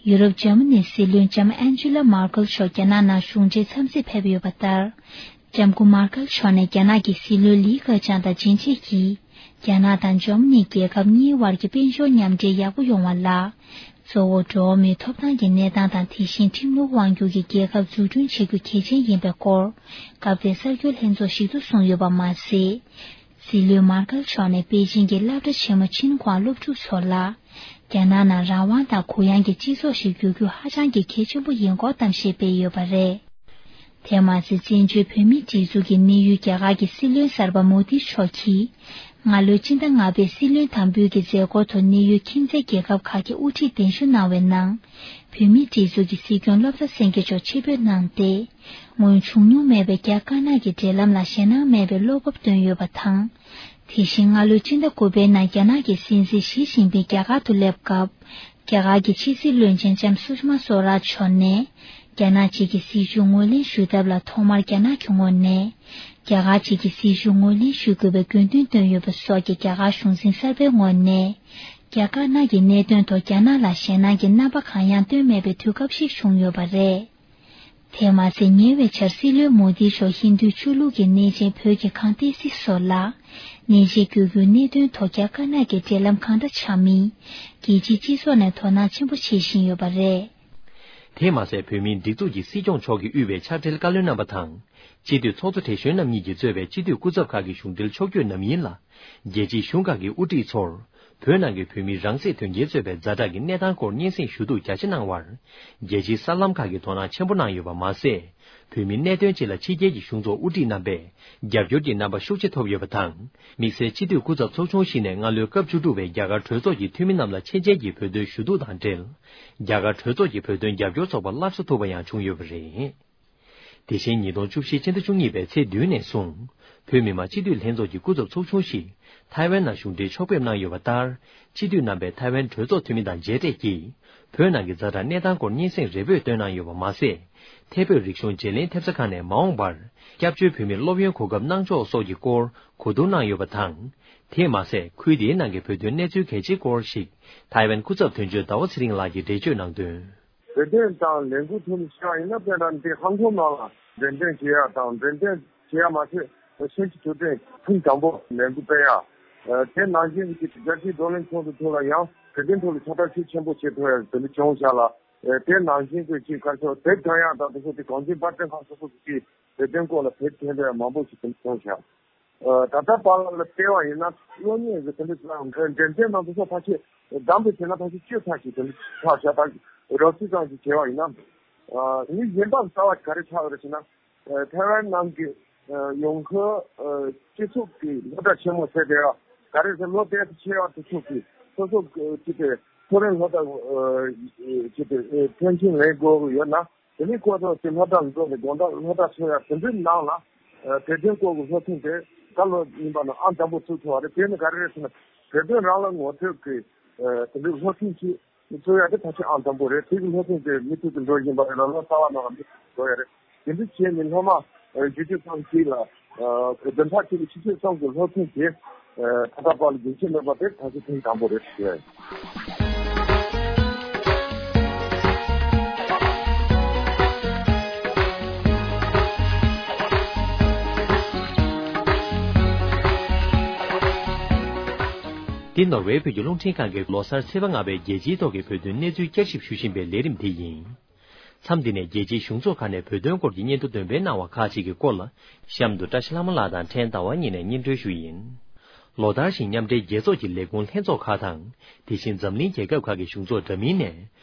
ཡུ་རོབ་འཇར་མ་ནིའི་སྲིད་བློན་ལྕམ་ཨན་ཇི་ལ་མར་ཀལ་མཆོག་རྒྱ་ནག་ནང་གཞུང་འབྲེལ་འཚམས་གཟིགས་ཕེབས་ཡོད་པ་ལྟར། ལྕམ་སྐུ་མར་ཀལ་མཆོག་ནས་རྒྱ་ནག་གི་སྲིད་བློན་ལི་ཁེ་ཆང་དང་མཇལ་འཕྲད་ཀྱིས། རྒྱ་ནག་དང་འཇར་མ་ནི་རྒྱལ་ཁབ་གཉིས་དབར་གྱི་དཔལ་འབྱོར་མཉམ་འབྲེལ་ཡག་པོ་ཡོང་བ་ལ། གཙོ་བོ་འགྲོ་བ་མིའི་ཐོབ་ཐང་གི་གནས་སྟངས་དང་། དེ་བཞིན་ཁྲིམས་ལུགས་དབང་སྒྱུར་གྱི་རྒྱལ་ཁབ་འཛུགས་སྐྲུན་བྱེད་རྒྱུ་གལ་ཆེན་ཡིན་པའི་སྐོར། སྐབས་དེའི་གསར་འགྱུར་ལྷན་ཚོགས་ཤིག་ཏུ་གསུངས་ཡོད་པ་མ་ཟད། སྲིད་བློན་མར་ཀལ་མཆོག་ནས་པེ་ཅིང་གི་སློབ་གྲྭ་ཆེན་མོ་ཆིན་ཁུའང་སློབ་ཕྲུག་ཚོ་ལ། རྒྱ་ནག་ནང་རང་དབང་དང་གུ་ཡངས་ཀྱི་སྤྱི་ཚོགས་ཤིག་འགྱུར་རྒྱུ་ཧ་ཅང་གི་གལ་ཆེན་པོ་ཡིན་སྐོར་གཏམ་བཤད་སྤེལ་ཡོད་པ་རེད། དེ་མ་ཟད། བཙན་བྱོལ་བོད་མིའི་སྒྲིག་འཛུགས་ཀྱི་གནས་ཡུལ་རྒྱ་གར་གྱི་སྲིད་བློན་གསར་པ་མོ་དི་མཆོག་གིས། སྔ་ལོའི་སྤྱི་ཟླ་ལྔ་པའི་སྲིད་བློན་དམ་འབུལ་གྱི་མཛད་སྒོའི་ཐོག་གནས་ཡུལ་ཁྱིམ་མཚེས་རྒྱལ་ཁབ་ཁག་གི་དབུ་ཁྲིད་གདན་ཞུ་གནང་བའི་ནང་། བོད་མིའི་སྒྲིག་འཛུགས་ཀྱི་སྲིད་སྐྱོང་བློ་བཟང་སེང་གེ་མཆོག་ཆེད་ཕེབས་གནང་སྟེ། སྔོན་བྱུང་མྱོང་མེད་པའི་རྒྱ་དཀར་ནག་གི་འབྲེལ་ལམ་ལ་ཞེད་སྣང་མེད་པའི་བློ་སྤོབས་བཏོན་ཡོད་པ་དང་། དེ་བཞིན་སྔ་ལོའི་ཕྱི་ཟླ་དགུ་པའི་ནང་རྒྱ་ནག་གི་སྲིད་འཛིན་ཞི་ཅིན་ཕིང་རྒྱ་གར་དུ་སླེབས་སྐབས། རྒྱ་གར་གྱི་ཕྱི་སྲིད་བློན་ཆེན་ལྕམ་སུ་ཤི་མ་སོ་རཱཇ་མཆོག་ནས། རྒྱ་ནག་གཅིག་གི་སྲིད་བྱུས་ངོས་ལེན་ཞུ་ཐབས་ལ་ཐོག་མར་རྒྱ་ནག་གི་ངོས་ནས། རྒྱ་གར་གཅིག་གི་སྲིད་བྱུས་ངོས་ལེན་ཞུ་དགོས་པའི་དགོས་འདུན་བཏོན་ཡོད་པ་སོགས་ཀྱི་རྒྱ་གར་གཞུང་འཛིན་གསར་པའི་ངོས་ནས། རྒྱ་དཀར་ནག་གི་གནད་དོན་ཐོག་རྒྱ་ནག་ལ་ཞེད་སྣང་གི་རྣམ་པ་གང་ཡང་བཏོན་མེད་པའི་དུས་སྐབས་ཤིག་བྱུང་ཡོད་པ་རེད། དེ་མ་ཟད། ཉེ་བའི་ཆར་སྲིད་བློན་མོ་དིའི་ཕྱོགས་ཧིན་རྡུའི་ཆོས་ལུགས་ཀྱི་གནས་ཆེན་བོད་ཀྱི་ཁང་ཏི་སི་སོགས་ལ་གནས་མཇལ་བསྐྱོད་རྒྱུའི་གནད་དོན་ཐོག་རྒྱ་དཀར་ནག་གི་འབྲེལ་ལམ་གང་འདྲ་ཆགས་མིན། རྒྱལ་སྤྱིའི་སྤྱི་ཚོགས་ནས་དོ་སྣང་ཆེན་པོ་བྱེད་བཞིན་ཡོད་པ་རེད། དེ་མ་ཟད། བོད་མིའི་སྒྲིག་འཛུགས་ཀྱི་སྲིད་སྐྱོང་མཆོག་གིས་དབུས་པའི་ཕྱག་སྦྲེལ་བཀའ་བློན་རྣམ་པ་དང་། སྤྱི་འཐུས་ཚོགས་གཙོ་བགྲེས་གཞོན་རྣམ་གཉིས་ཀྱིས་གཙོས་པའི་སྤྱི་འཐུས་སྐུ་ཚབ་ཁག་གི་གཞུང་འབྲེལ་ཕྱོགས་བསྐྱོད་རྣམས་ཡིན་ལ། རྒྱལ་སྤྱིའི་གཞུང་ཁག་གི་དབུ་ཁྲིད་ཚོར། བོད་ནང་གི་བོད་མིའི་རང་སྲིད་དོན་རྐྱེན་གཙོས་པའི་ཛ་དྲག་གི་གནས་སྟངས་སྐོར་སྙན་སེང་ཞུ་གཏུག་རྒྱ་ཆེ་གནང་བར། རྒྱལ་སྤྱིའི་གསར་ལམ་ཁག་གིས་དོ་སྣང་ཆེན་པོ་གནང་ཡོད་པ་མ་ཟད། བོད་མིའི་གནད་དོན་སྤྱི་ལ་ཕྱི་རྒྱལ་གྱི་གཞུང་ཚོགས་དབུ་ཁྲིད་རྣམ་པས་རྒྱབ་སྐྱོར་གྱི་རྣམ་པ་ཤུགས་ཆེ་ཐོབ་ཡོད་པ་དང་། དམིགས་བསལ་སྤྱི་འཐུས་སྐུ་ཚབ་ཚོགས་ཆུང་བཞི་ནས་སྔ་ལོའི་སྐབས་བཅུ་དྲུག་པའི་རྒྱ་གར་གྲོས་ཚོགས་ཀྱི་འཐུས་མི་རྣམས་ལ་ཆེད་མཇལ་གྱིས་བོད་དོན་ཞུ་གཏུག་དང་འབྲེལ། རྒྱ་གར་གྲོས་ཚོགས་ཀྱི་བོད་དོན་རྒྱབ་སྐྱོར་ཚོགས་པ་སླར་གསོ་ཐུབ་པ་ཡང་བྱུང་ཡོད་པ་རེད། དེ་བཞིན་ཉིས་སྟོང་བཅུ་བཞི་ཕྱི་ཟླ་བཅུ་གཉིས་པའི་ཚེས་བདུན་ནས་བཟུང་། བོད་མི་མང་སྤྱི་འཐུས་ལྷན་ཚོགས་ཀྱི་སྐུ་ཚབ་ཚོགས་ཆུང་ཞིག་ཐའེ་ཝན་ནང་གཞུང་འབྲེལ་ཕྱོགས་ཕེབས་གནང་ཡོད་པ་ལྟར། སྤྱི་འཐུས་རྣམ་པས་ཐའེ་ཝན་གྲོས་ཚོགས་འཐུས་མི་དང་མཇལ་འཕྲད་ཀྱིས། བོད་ནང་གི་ཛ་དྲག་གནས་སྟངས་སྐོར་སྙན་སེང་རེ་འབོད་བཏོན་གནང་ཡོད་པ་མ་ཟད། ཐད་བོད་རིག་གཞུང་བརྗེ་ལེན་ཐེབས་རྩ་ཁང་ནས་མ་འོངས་པར་སྐྱབས་བཅོལ་བོད་མིར་སློབ་ཡོན་གོ་སྐབས་གནང་ཕྱོགས་སོགས་ཀྱི་སྐོར་གོ་བསྡུར་གནང་ཡོད་པ་དང་། དེས་མ་ཟད། ཁུལ་དེའི་ནང་གི་བོད་དོན་གནས་ཚུལ་གལ་ཆེའི་སྐོར་ཞིག་ཐའེ་ཝན་སྐུ་ཚབ་དོན་གཅོད་ཟླ་བ་ཚེ་རིང་ལགས་ཀྱིས་འགྲེལ་བརྗོད་གནང་དོན། བོད་དོན་དང་ལས་འགུལ་ཐོག་ནས་བཤད་པ་ཡིན་ན། དཔེར་ན་འདི་ཧང་ཀོང་ནང་ལ་འགྲེམས་སྟོན་བྱེད་ཡ་དང་། འགྲེམས་སྟོན་བྱེད་ཡ་མ་ཟད་ཆིན་ཅི་ཐུའུ་ཊེན་ཐེངས་དང་པོ་ལས་འགུལ་སྤེལ་ཡ། དེ་ནང་བཞིན་གྱི་རྒྱལ་སྤྱིའི་བགྲོ་གླེང་ཚོགས་འདུ་ཐོག་ལ་ཡང་བོད་དོན་ཐོག་ལ་ཕྱག་བསྟར་ཤུགས་ཆེན་པོ་བྱེད་ཐུབ་ཡ་དེ་འདྲ་བྱུང་བཞག་ལ། དེ་ནང་བཞིན་གྱི་ཅིག་ག་ཚོད་དེབ་སྒྲོན་ཡ་དང་དེ་ཚོ་དེ་གངས་ཅན་པར་སྐྲུན་ཁང་སོ་སོ་གི་ཅིག་བོད་དོན་སྐོར་ལ་དེབ་ཐོན་པ་མང་པོ་ཞིག་དེ་འདྲ་བྱུང་བཞག་ད་ལྟ་བར་ལ་བལྟས་པ་ཡིན་ན། གློག་བརྙན་གྱི་དེ་འདྲ་ཅིག་ལ་འགྲེམས་སྟོན་ནང་དུ་སོགས་ཕལ་ཆེར་བདམས་པའི་ཚེ་ན་ཕལ་ཆེར་བཅུ་ཙམ་ཞིག་དེ་འདྲ་ཆགས་བཞག་ད་རོབ་ཙམ་ཅིག་བྱས་པ་ཡིན་ན། ཨ་ནི་གཞན་དག་རྩ་བ་ག་རེ་ཆགས་ཡོད་རེད་ཟེར་ན། ཨ་ཐའེ་ཝན་ནང་གི་ཨ་ཡོང་ཁུལ་ཨ་སྤྱི་ཚོགས་ཀྱི་སློབ་གྲྭ་ཆེན་མོ་ཟེར་དེ་ཡང་ག་རེ་ཟེར། ལོ་དེབ་ཆེ་བ་དེ་ཚོ་གི་སོ་སོ་གི་ཅིག་དེ་མཐོ་རིམ་སློབ་གྲྭ་ཨ་ཅིག་དེ་ཨ་མཐར་ཕྱིན་ལེན་དགོས་ཀྱི་ཡོད་ན། དེ་ནས་ཁོ་ཚོ་དེ་སློབ་གྲྭར་འགྲོ་ནས་དགོང་དག་སློབ་གྲྭ་ཚོགས་ཡ་དེ་འདྲའི་ནང་ལ། ཨ་བོད་དོན་སྐོར་གྱི་སློབ་ཚན་དེ་ད་ལོ་རྙིང་པ་ནང་ཨང་དང་པོ་ཚུད་ཐུབ་པ་རེད། དེ་ནི་ག་རེ་རེད་ཟེར་ན། བོད་དོན་རང་ལ་ངོ་སྤྲོད་ཀྱི་ཨ་དེ་འདྲའི་སློབ་ཚན་ཞིག་ཚུད་ཡ་དེ་ཕལ་ཆེར་ཨང་དང་པོ་རེད། དེ་གི་སློབ་ཚན་དེ་མུ་མཐུད་དུ་འགྲོ་བཞིན་པ་རེད་ལ། ལོ་ཙཱ་བ་ནང་ལ་མུ་མཐུད་དུ་འགྲོ་ཡ་རེད། དེ་འདྲ་བྱས་ནས་སློབ་མ་ཨ་བཞི་བཅུ་ཙམ་ཞིག་ལ་ཨ་བདུན་ཕྲག་གཅིག་ལ་ཆུ་ཚོད་གསུམ་གྱི་སློབ་ཚན་དེ་ཨ་ད་ལྟ་བར་ལ་རྒྱུན་ཆད་མེད་པ་དེ་ད་ཆ་ཐེངས་དང་པོ་རེད་ཟེར། འདི་ནོར་ཝེ་བོད་ཀྱི་རླུང་འཕྲིན་ཁང་གི་ལོ་གསར་ཚེས་པ་ལྔ་པའི་རྒྱལ་སྤྱིའི་ཐོག་གི་བོད་དོན་གནས་ཚུལ་བསྐྱར་ཞིབ་ཞུ་བཞིན་པའི་ལས་རིམ་དེ་ཡིན། མཚམས་འདི་ནས་རྒྱལ་སྤྱིའི་གཞུང་ཚོགས་ཁག་ནས་བོད་དོན་སྐོར་གྱི་སྙན་ཐོ་འདོན་སྤེལ་གནང་བ་ཁག་ཅིག་གི་སྐོར་ལ། གཤམ་དུ་བཀྲ་ཤིས་ལྷ་མོ་ལགས་དང་ཕྲན་ཟླ་བ་གཉིས་ནས་སྙན་སྒྲོན་ཞུ་ཡིན། ལོ་ལྟར་བཞིན་མཉམ་འབྲེལ་རྒྱལ་ཚོགས་ཀྱི་ལས་ཁུངས་ལྷན་ཚོགས་ཁག་དང་། དེ་བཞིན་འཛམ་གླིང་རྒྱལ་ཁབ་ཁག་གི་གཞུང་ཚོགས་འདྲ་མིན་ནས།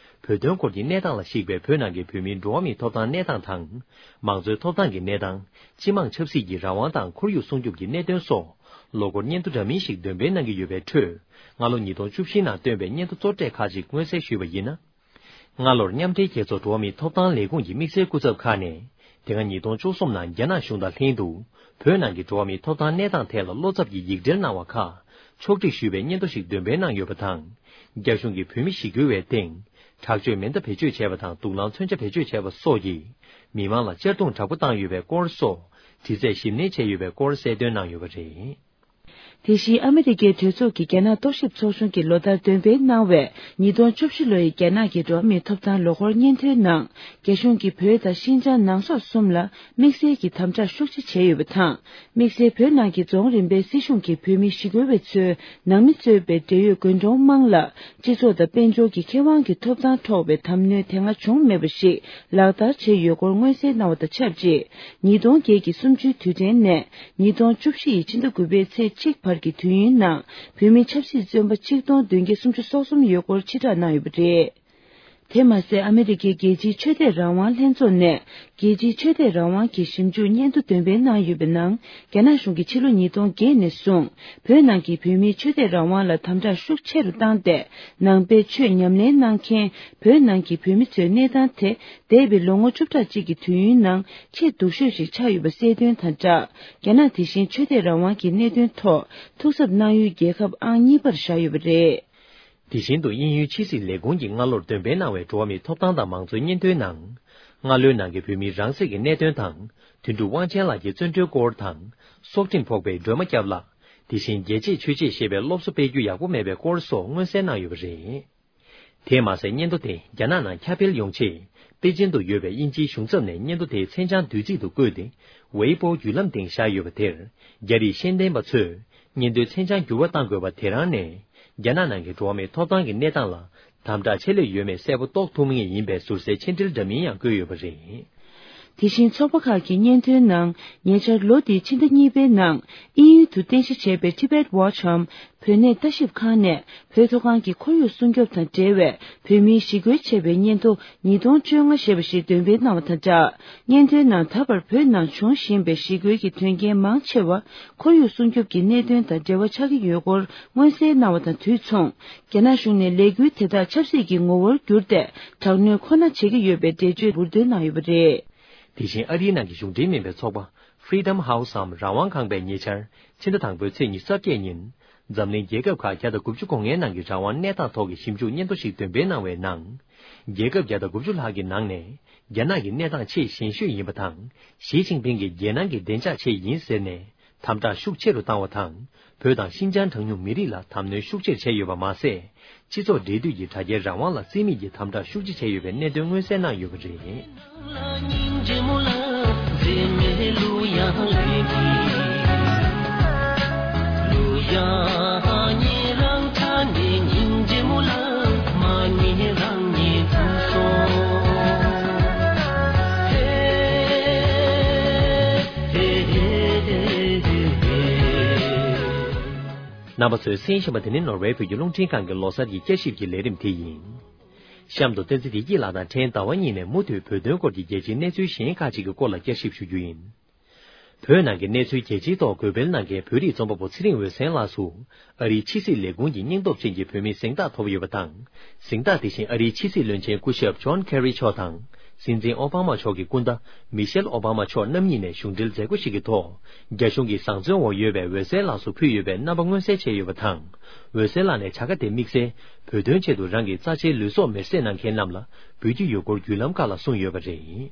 བོད་དོན་སྐོར་གྱི་གནས་སྟངས་ལ་གཞིགས་པའི་བོད་ནང་གི་བོད་མིའི་འགྲོ་བ་མིའི་ཐོབ་ཐང་གནས་སྟངས་དང་། མང་གཙོའི་ཐོབ་ཐང་གི་གནས་སྟངས། སྤྱི་དམངས་ཆབ་སྲིད་ཀྱི་རང་དབང་དང་ཁོར་ཡུག་སྲུང་སྐྱོབ་ཀྱི་གནད་དོན་སོགས། ལོ་འཁོར་སྙན་ཐོ་འདྲ་མིན་ཞིག་འདོན་སྤེལ་གནང་གི་ཡོད་པའི་ཁྲོད། སྔ་ལོ་ཉིས་སྟོང་བཅུ་བཞི་ནང་བཏོན་པའི་སྙན་ཐོ་གཙོ་གྲས་ཁག་ཅིག་མངོན་གསལ་ཞུས་པ་ཡིན་ན། སྔ་ལོར་མཉམ་འབྲེལ་རྒྱལ་ཚོགས་འགྲོ་བ་མིའི་ཐོབ་ཐང་ལས་ཁུངས་ཀྱི་དམིགས་བསལ་སྐུ་ཚབ་ཁག་ནས། དེ་སྔ་ཉིས་སྟོང་བཅུ་གསུམ་ནང་རྒྱ་ནག་གཞུང་དང་ལྷན་དུ། བོད་ནང་གི་འགྲོ་བ་མིའི་ཐོབ་ཐང་གནས་སྟངས་ཐད་ལ་བློ་འཚབ་ཀྱི་ཡིག་འབྲེལ་གནང་བ་ཁག་ཕྱོགས་སྒྲིག་ཞུས་པའི་སྙན་ཐོ་ཞིག་འདོན་སྤེལ་གནང་ཡོད་པ་དང་། རྒྱ་གཞུང་གིས་བོད་མི་ཞི་རྒོལ་བའི་སྟེང་། དྲག་སྤྱོད་མེ་མདའ་བེད་སྤྱོད་བྱས་པ་དང་། དུག་རླངས་མཚོན་ཆ་བེད་སྤྱོད་བྱས་པ་སོགས་ཀྱིས། མི་མང་ལ་གཅར་རྡུང་དྲག་པོ་བཏང་ཡོད་པའི་སྐོར་སོགས། དྲི་རྩད་ཞིབ་གནས་བྱས་ཡོད་པའི་སྐོར་གསལ་སྟོན་གནང་ཡོད་པ་རེད། དེ་བཞིན་ཨ་མི་རི་ཀའི་གྲོས་ཚོགས་ཀྱི་རྒྱ་ནག་རྟོག་ཞིབ་ཚོགས་ཆུང་གིས་ལོ་ལྟར་འདོན་སྤེལ་གནང་བའི་ཉིས་སྟོང་བཅུ་བཞི་ལོ་ཡི་རྒྱ་ནག་གི་འགྲོ་བ་མིའི་ཐོབ་ཐང་ལོ་འཁོར་སྙན་ཐོའི་ནང་། རྒྱ་གཞུང་གིས་བོད་དང་ཤིན་ཅང་ནང་སོག་གསུམ་ལ་དམིགས་བསལ་གྱི་དམ་དྲག་ཤུགས་ཆེ་བྱས་ཡོད་པ་དང་། དམིགས་བསལ་བོད་ནང་གི་རྫོང་རིམ་པའི་སྲིད་གཞུང་གིས་བོད་མི་ཞི་རྒོལ་བ་ཚོའི་ནང་མི་གཙོས་པའི་འབྲེལ་ཡོད་དགོན་གྲོང་དམངས་ལ་སྤྱི་ཚོགས་དང་དཔལ་འབྱོར་གྱི་ཁེ་དབང་གི་ཐོབ་ཐང་འཕྲོག་པའི་དམ་གནོན་དེ་སྔ་བྱུང་མེད་པ་ཞིག་ལག་བསྟར་བྱས་ཡོད་སྐོར་མངོན་གསལ་གནང་བ་དང་ཆབས་ཅིག་ཉིས་སྟོང་བརྒྱད་ཀྱི་གསུམ་བཅུའི་དུས་དྲན་ནས་ཉིས་སྟོང་བཅུ་བཞི་ཡི་ཕྱི་ཟླ་དགུ་པའི་ཚེས་གཅིག་བར་གྱི་དུས་ཡུན་ནང་བོད་མི་ཆབ་སྲིད་བཙོན་པ་ཆིག་སྟོང་བདུན་བརྒྱ་སུམ་ཅུ་སོ་གསུམ་ཡོད་སྐོར་ཕྱིར་བསྒྲགས་གནང་ཡོད་པ་རེད། དེ་མ་ཟད། ཨ་མི་རི་ཀའི་རྒྱལ་སྤྱིའི་ཆོས་དད་རང་དབང་ལྷན་ཚོགས་ནས་རྒྱལ་སྤྱིའི་ཆོས་དད་རང་དབང་གི་ཞིབ་འཇུག་སྙན་ཐོ་འདོན་སྤེལ་གནང་ཡོད་པའི་ནང་། རྒྱ་ནག་གཞུང་གིས་ཕྱི་ལོ་ཉིས་སྟོང་བརྒྱད་ནས་བཟུང་བོད་ནང་གི་བོད་མིའི་ཆོས་དད་རང་དབང་ལ་དམ་དྲག་ཤུགས་ཆེ་རུ་བཏང་སྟེ། ནང་པའི་ཆོས་ཉམས་ལེན་གནང་མཁན་བོད་ནང་གི་བོད་མི་ཚོའི་གནས་སྟངས་དེ། འདས་པའི་ལོ་ངོ་བཅུ་ཕྲག་གཅིག་གི་དུས་ཡུན་ནང་ཆེས་སྡུག་ཤོས་ཤིག་ཆགས་ཡོད་པ་གསལ་སྟོན་དང་སྦྲགས། རྒྱ་ནག་དེ་བཞིན་ཆོས་དད་རང་དབང་གི་གནད་དོན་ཐོག་ཐུགས་འཚབ་གནང་ཡུལ་རྒྱལ་ཁབ་ཨང་གཉིས་པར་བཞག་ཡོད་པ་རེད། དེ་བཞིན་དུ། དབྱིན་ཡུལ་ཕྱི་སྲིད་ལས་ཁུངས་ཀྱིས་སྔ་ལོར་འདོན་སྤེལ་གནང་བའི་འགྲོ་བ་མིའི་ཐོབ་ཐང་དང་མང་གཙོའི་སྙན་ཐོའི་ནང་། སྔ་ལོའི་ནང་གི་བོད་མིའི་རང་སྲིད་ཀྱི་གནད་དོན་དང་། དོན་གྲུབ་དབང་ཆེན་ལགས་ཀྱི་བཙོན་གྲོལ་སྐོར་དང་། སྲོག་ཁྲིམས་ཕོག་པའི་སྒྲོལ་མ་སྐྱབས་ལགས། དེ་བཞིན་རྒྱལ་གཅེས་ཆོས་གཅེས་ཞེས་པའི་སློབ་གསོ་སྤེལ་རྒྱུ་ཡག་པོ་མེད་པའི་སྐོར་སོགས་མངོན་གསལ་གནང་ཡོད་པ་རེད། དེས་མ་ཟད། སྙན་ཐོ་དེ་རྒྱ་ནག་ནང་ཁྱབ་སྤེལ་ཡོང་ཆེད། པེ་ཅིན་དུ་ཡོད་པའི་དབྱིན་ཇིའི་གཞུང་ཚབ་ནས་སྙན་ཐོ་དེའི་མཚན་བྱང་བསྡུས་ཚིག་ཏུ་བཀོད་དེ། ཝེ་པོ་བརྒྱུད་ལམ་སྟེང་བཞག་ཡོད་པ་དེར། རྒྱ་རིགས་ཤེས་ལྡན་པ་ཚོས། སྙན་ཐོའི་མཚན་བྱང་འགྱུར་བ་གཏང་དགོས་པ་དེ་རང་ནས། རྒྱ་ནག་ནང་གི་འགྲོ་བ་མིའི་ཐོབ་ཐང་གི་གནས་སྟངས་ལ། དམ་དྲག་ཆེ་སླེབས་ཡོད་མེད་གསལ་པོ་རྟོགས་ཐུབ་ངེས་ཡིན་པའི་ཟུར་ཟའི་མཆན་འགྲེལ་འདྲ་མིན་ཡང་བཀོད་ཡོད་པ་རེད། དེ་བཞིན་ཚོགས་པ་ཁག་གི་སྙན་ཐོའི་ནང་། ཉེ་ཆར་ལོ་འདིའི་ཕྱི་ཟླ་གཉིས་པའི་ནང་། དབྱིན་ཡུལ་དུ་རྟེན་གཞི་བྱས་པའི་Tibet Watch འམ། བོད་གནས་ལྟ་ཞིབ་ཁང་ནས། བོད་མཐོ་སྒང་གི་ཁོར་ཡུག་སྲུང་སྐྱོབ་དང་འབྲེལ་བའི་བོད་མིའི་ཞི་རྒོལ་བྱས་པའི་སྙན་ཐོ་ཉིས་སྟོང་བཅོ་ལྔ་ཞེས་པ་ཞིག་འདོན་སྤེལ་གནང་བ་དང་སྦྲགས། སྙན་ཐོའི་ནང་། ད་བར་བོད་ནང་འབྱུང་བཞིན་པའི་ཞི་རྒོལ་གྱི་དོན་རྐྱེན་མང་ཆེ་བ། ཁོར་ཡུག་སྲུང་སྐྱོབ་ཀྱི་གནད་དོན་དང་འབྲེལ་བ་ཆགས་ཀྱི་ཡོད་སྐོར་མངོན་གསལ་གནང་བ་དང་དུས་མཚུངས། རྒྱ་ནག་གཞུང་ནས་ལས་འགུལ་དེ་དག་ཆབ་སྲིད་ཀྱི་ངོ་བོར་བསྒྱུར་ཏེ། དྲག་གནོན་ཁོ་ན་བྱེད་ཀྱི་ཡོད་པའི་འགྲེལ་བརྗོད་འབུར་འདོན་གནང་ཡོད་པ་རེད། དེ་བཞིན་ཨ་རིའི་ནང་གི་གཞུང་འབྲེལ་མིན་པའི་ཚོགས་པ། Freedom House འམ་རང་དབང་ཁང་པས་ཉེ་ཆར། ཕྱི་ཟླ་དང་པོའི་ཚེས་ཉི་ཤུ་རྩ་བརྒྱད་ཉིན། འཛམ་གླིང་རྒྱལ་ཁབ་ཁག་བརྒྱ་དང་དགུ་བཅུ་གོ་ལྔའི་ནང་གི་རང་དབང་གནས་སྟངས་ཐོག་གི་ཞིབ་འཇུག་སྙན་ཐོ་ཞིག་འདོན་སྤེལ་གནང་བའི་ནང་། རྒྱལ་ཁབ་བརྒྱ་དང་དགུ་བཅུ་ལྷག་གི་ནང་ནས། རྒྱ་ནག་གི་གནས་སྟངས་ཆེས་ཞན་ཤོས་ཡིན་པ་དང་། ཞི་ཅིན་ཕིང་གི་རྒྱལ་ནང་གི་བདེ་འཇགས་ཆེད་ཡིན་ཟེར་ནས། དམ་དྲག་ཤུགས་ཆེ་རུ་བཏང་བ་དང་། བོད་དང་ཤིན་ཅང་གྲངས་ཉུང་མི་རིགས་ལ་དམ་གནོན་ཤུགས་ཆེར་བྱས་ཡོད་པ་མ་ཟད། སྤྱི་ཚོགས་འབྲེལ་མཐུད་ཀྱི་དྲ་རྒྱའི་རང་དབང་ལ་བརྩི་མེད་ཀྱི་དམ་དྲག་ཤུགས་ཆེ་བྱས་ཡོད་པའི་གནད་དོན་མངོན་གསལ་གནང་ཡོད་པ་རེད། རྣམ་པ་ཚོས་གསན་བཞིན་པ་དེ་ནི་ནོར་ཝེ་བོད་ཀྱི་རླུང་འཕྲིན་ཁང་གི་ལོ་གསར་གྱི་བསྐྱར་ཞིབ་ཀྱི་ལས་རིམ་དེ་ཡིན། གཤམ་དུ་བསྟན་འཛིན་བདེ་སྐྱིད་ལགས་དང་ཕྲན་ཟླ་བ་གཉིས་ནས་མུ་མཐུད་བོད་དོན་སྐོར་གྱི་རྒྱལ་སྤྱིའི་གནས་ཚུལ་གཞན་ཁག་ཅིག་གི་སྐོར་ལ་བསྐྱར་ཞིབ་ཞུ་རྒྱུ་ཡིན། བོད་ནང་གི་གནས་ཚུལ་རྒྱལ་སྤྱིའི་ཐོག་འགོད་སྤེལ་གནང་མཁན་བོད་རིགས་རྩོམ་པ་པོ་ཚེ་རིང་འོད་ཟེར་ལགས་སུ། ཨ་རིའི་ཕྱི་སྲིད་ལས་ཁུངས་ཀྱི་སྙིང་སྟོབས་ཅན་གྱི་བོད་མིའི་གཟེངས་རྟགས་ཐོབ་ཡོད་པ་དང་། གཟེངས་རྟགས་དེ་བཞིན་ཨ་རིའི་ཕྱི་སྲིད་བློན་ཆེན་སྐུ་ཞབས་ཇོན་ཁེ་རི་མཆོག་དང་། སྲིད་འཛིན་ཨོ་བྷ་མ་མཆོག་གི་སྐུ་ཟླ་མི་ཤེལ་ཨོ་བྷ་མ་མཆོག་རྣམ་གཉིས་ནས་གཞུང་འབྲེལ་མཛད་སྒོ་ཞིག་གི་ཐོག་རྒྱ་གཞུང་གི་བཟང་བཙོན་འོག་ཡོད་པའི་འོད་ཟེར་ལགས་སུ་ཕུལ་ཡོད་པའི་རྣམ་པ་མངོན་གསལ་བྱས་ཡོད་པ་དང་། འོད་ཟེར་ལགས་ནས་བྱ་དགའ་དེ་དམིགས་བསལ་བོད་དོན་ཆེད་དུ་རང་གི་རྩ་ཆེའི་ལུས་སྲོག་མེར་སྲེག་གནང་མཁན་རྣམས་ལ་འབུལ་རྒྱུ་ཡོད་སྐོར་བརྒྱུད་ལམ་ཁག་ལ་གསུངས་ཡོད་པ་རེད།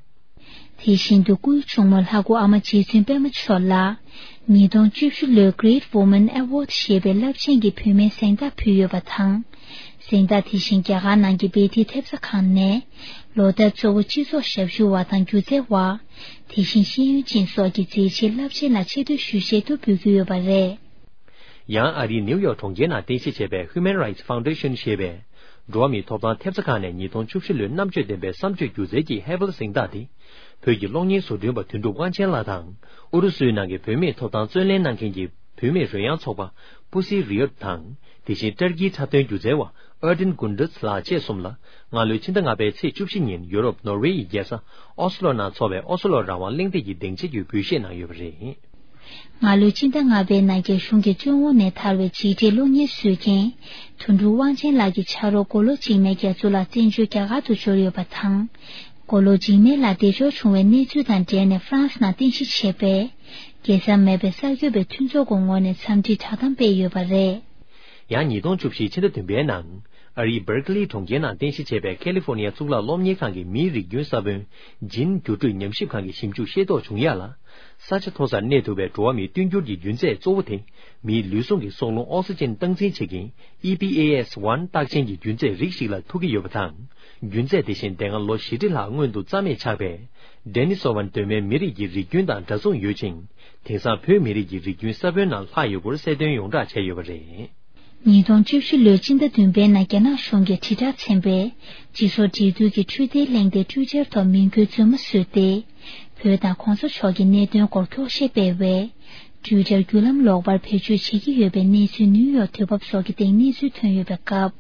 དེ་བཞིན་དུ་སྐུའི་གཅུང་མོ་ལྷ་སྐུ་ཨ་མ་རྗེ་བཙུན་པད་མ་མཆོག་ལ། ཉིས་སྟོང་བཅུ་བཞི་ལོའི་Great Woman Award ཞེས་པའི་རླབས་ཆེན་གྱི་བུད་མེད་གཟེངས་རྟགས་ཕུལ་ཡོད་པ་དང་། གཟེངས་རྟགས་དེ་བཞིན་རྒྱ་གར་ནང་གི་བྷེ་ཏི་ཐེབས་རྩ་ཁང་ནས། ལོ་ལྟར་གཙོ་བོ་སྤྱི་ཚོགས་ཞབས་ཞུ་བ་དང་སྒྱུ་རྩལ་བ། དེ་བཞིན་ཤེས་ཡོན་ཅན་སོགས་ཀྱི་མཛད་རྗེས་རླབས་ཆེན་ལ་ཆེ་བསྟོད་ཞུ་ཆེད་དུ་འབུལ་གྱི་ཡོད་པ་རེད། ཡང་ཨ་རིའི་ནིའུ་ཡོག་གྲོང་ཁྱེར་ནང་རྟེན་གཞི་བྱས་པའི་Human Rights Foundation ཞེས་པའི་འགྲོ་བ་མིའི་ཐོབ་ཐང་ཐེབས་རྩ་ཁང་ནས་ཉིས་སྟོང་བཅུ་བཞི་ལོའི་རྣམ་དཔྱོད་ལྡན་པའི་བསམ་སྤྱོད་སྒྱུ་རྩལ་གྱི་ཧེ་ཝེལ་གཟེངས་རྟགས་དེ། བོད་ཀྱི་གློག་བརྙན་བཟོ་སྐྲུན་པ་དོན་གྲུབ་དབང་ཆེན་ལགས་དང་། ཨུ་རུ་སུའི་ནང་གི་བོད་མིའི་ཐོབ་ཐང་རྩོད་ལེན་གནང་མཁན་གྱི་བུད་མེད་རོལ་དབྱངས་ཚོགས་པ་Pussy Riot དང་། དེ་བཞིན་ཏར་ཀིའི་འཁྲབ་སྟོན་སྒྱུ་རྩལ་བ་Erdin Gunduz ལགས་བཅས་གསུམ་ལ། སྔ་ལོའི་ཕྱི་ཟླ་ལྔ་པའི་ཚེས་བཅུ་བཞི་ཉིན་ཡུ་རོབ་ནོར་ཝེ་ཡི་རྒྱལ་ས་ཨོ་སི་ལོ་ནང་འཚོགས་པའི་ཨོ་སི་ལོ་རང་དབང་གླེང་སྟེགས་ཀྱི་སྡིངས་ཆ་བརྒྱུད་འབུལ་བཞེས་གནང་ཡོད་པ་རེད། སྔ་ལོའི་ཕྱི་ཟླ་ལྔ་པའི་ནང་རྒྱ་གཞུང་གི་བཙོན་འོག་ནས་ཐར་བའི་རྗེས་འབྲས་གློག་བརྙན་བཟོ་མཁན། དོན་གྲུབ་དབང་ཆེན་ལགས་ཀྱི་ཕྱག་རོགས་མགོ་ལོག་འཇིགས་མེད་རྒྱ་མཚོ་ལགས་བཙན་བྱོལ་རྒྱ་གར་དུ་འབྱོར་ཡོད་པ་དང་། མགོ་ལོག་འཇིགས་མེད་ལགས་བདེ་འབྱོར་བྱུང་བའི་གནས་ཚུལ་དང་འབྲེལ་ནས་ཧྥ་རན་སི་ནང་རྟེན་གཞི་བྱས་པའི། རྒྱལ་ས་མེད་པའི་གསར་འགོད་པའི་མཐུན་ཚོགས་ཀྱི་ངོས་ནས་འཚམས་འདྲིའི་བསྒྲགས་གཏམ་སྤེལ་ཡོད་པ་རེད། ཡང་ཉིས་སྟོང་བཅུ་བཞི་ཕྱི་ཟླ་བདུན་པའི་ནང་། ཨ་རིའི་Berkeley གྲོང་ཁྱེར་ནང་རྟེན་གཞི་བྱས་པའི་ཁ་ལི་ཧྥོ་ནི་ཡ་གཙུག་ལག་སློབ་གཉེར་ཁང་གི་མིའི་རིགས་རྒྱུན་ས་བོན་ཇིན་འགྱུར་འགྲོས་ཉམས་ཞིབ་ཁང་གི་ཞིབ་འཇུག་ཤེས་རྟོགས་བྱུང་ཡ་ལ། ས་ཆ་མཐོ་སར་གནས་ཐུབ་པའི་འགྲོ་བ་མིའི་བསྟུན་འགྱུར་གྱི་རྒྱུ་རྫས་གཙོ་བོ་དེ། མིའི་ལུས་ཟུངས་ཀྱི་སྲོག་རླུང་ཨོག་སི་ཅན་སྟངས་འཛིན་བྱེད་མཁན་ཨི་པི་ཨེ་ཨེས་ཝན་རྟགས་ཅན་གྱི་རྒྱུ་རྫས་རིགས་ཤིག་ལ་ཐུག་གི་ཡོད་པ་དང་། རྒྱུ་རྫས་དེ་བཞིན་དེ་སྔ་ལོ་བཞི་ཁྲི་ལྷག་སྔོན་དུ་རྩ་མེད་ཆགས་པའི་Denisovans གདོད་མའི་མི་རིགས་ཀྱི་རིགས་རྒྱུན་དང་འདྲ་མཚུངས་ཡོད་ཅིང་། དེང་སང་བོད་མི་རིགས་ཀྱི་རིགས་རྒྱུན་ས་བོན་ནང་ལྷག་ཡོད་སྐོར་གསལ་སྟོན་ཡོངས་གྲགས་བྱས་ཡོད་པ་རེད། ཉིས་སྟོང་བཅུ་བཞི་ལོའི་སྤྱི་ཟླ་བདུན་པའི་ནང་རྒྱ་ནག་གཞུང་གིས་དྲིལ་བསྒྲགས་ཚན་པས་སྤྱི་ཚོགས་འབྲེལ་མཐུད་ཀྱི་འཕྲུལ་དེབ་གླེང་སྟེགས་Twitter ཐོག་མིང་འགོད་རྫུན་མ་བཟོས་ཏེ། བོད་དང་༸གོང་ས་མཆོག་གི་གནད་དོན་སྐོར་འཁྱོག་བཤད་སྤེལ་བས། Twitter བརྒྱུད་ལམ་ལོག་པར་བེད་སྤྱོད་བྱེད་ཀྱི་ཡོད་པའི་གནས་ཚུལ་ནིའུ་ཡོག་དུས་བབ་སོགས་ཀྱི་སྟེང་གནས་ཚུལ་ཐོན་ཡོད་པའི་སྐབས།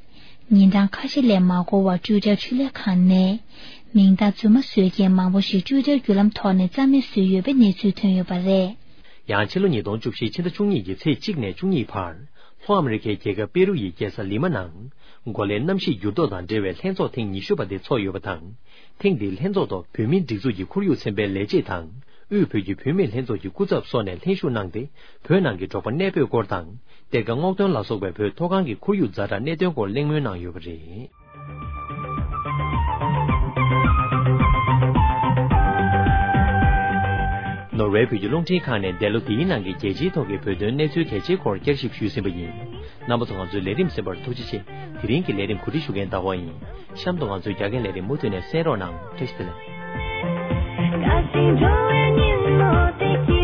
ཉིན་གྲངས་ཁ་ཤས་ལས་མ་འགོར་བར་Twitter འཕྲུལ་ལས་ཁང་ནས། མིང་རྟགས་རྫུན་མ་བཟོས་མཁན་མང་པོ་ཞིག་Twitter བརྒྱུད་ལམ་ཐོག་ནས་རྩ་མེད་བཟོས་ཡོད་པའི་གནས་ཚུལ་ཐོན་ཡོད་པ་རེད། ཡང་ཕྱི་ལོ་ཉིས་སྟོང་བཅུ་བཞི་ཕྱི་ཟླ་བཅུ་གཉིས་ཀྱི་ཚེས་གཅིག་ནས་བཅུ་གཉིས་བར། ལྷོ་ཨ་མི་རི་ཁའི་རྒྱལ་ཁབ་པེ་རུ་ཡི་རྒྱལ་ས་ལི་མ་ནང་། གོ་ལའི་གནམ་གཤིས་འགྱུར་ལྡོག་དང་འབྲེལ་བའི་ལྷན་ཚོགས་ཐེངས་ཉི་ཤུ་པ་དེ་འཚོགས་ཡོད་པ་དང་། ཐེངས་འདིའི་ལྷན་ཚོགས་ཐོག་བོད་མིའི་སྒྲིག་འཛུགས་ཀྱི་ཁོར་ཡུག་ཚན་པའི་ལས་བྱེད་དང་། དབུས་བོད་ཀྱི་བུད་མེད་ལྷན་ཚོགས་ཀྱི་སྐུ་ཚབ་སོགས་ནས་ལྷན་ཞུགས་གནང་སྟེ། བོད་ནང་གི་འབྲོག་པ་གནས་སྤོས་སྐོར་དང་། གཏེར་ཁ་སྔོག་འདོན་ལ་སོགས་པའི་བོད་མཐོ་སྒང་གི་ཁོར་ཡུག་ཛ་དྲག་གནད་དོན་སྐོར་གླེང་མོལ་གནང་ཡོད་པ་རེད། ནོར་ཝེ་བོད་ཀྱི་རླུང་འཕྲིན་ཁང་ནས་འདས་ལོ་འདིའི་ནང་གི་རྒྱལ་སྤྱིའི་ཐོག་གི་བོད་དོན་གནས་ཚུལ་གལ་ཆེའི་སྐོར་བསྐྱར་ཞིབ་ཞུས་ཟིན་པ་ཡིན། རྣམ་པ་ཚོ་ང་ཚོའི་ལས་རིམ་གསན་པར་ཐུགས་རྗེ་ཆེ། དེ་རིང་གི་ལས་རིམ་གོ་སྒྲིག་ཞུ་མཁན་ཟླ་བ་ཡིན། གཤམ་དུ་ང་ཚོའི་རྒྱ་སྐད་ལས་རིམ་མུ་མཐུད་ནས་གསན་རོགས་གནང་། བཀྲ་ཤིས་བདེ་ལེགས།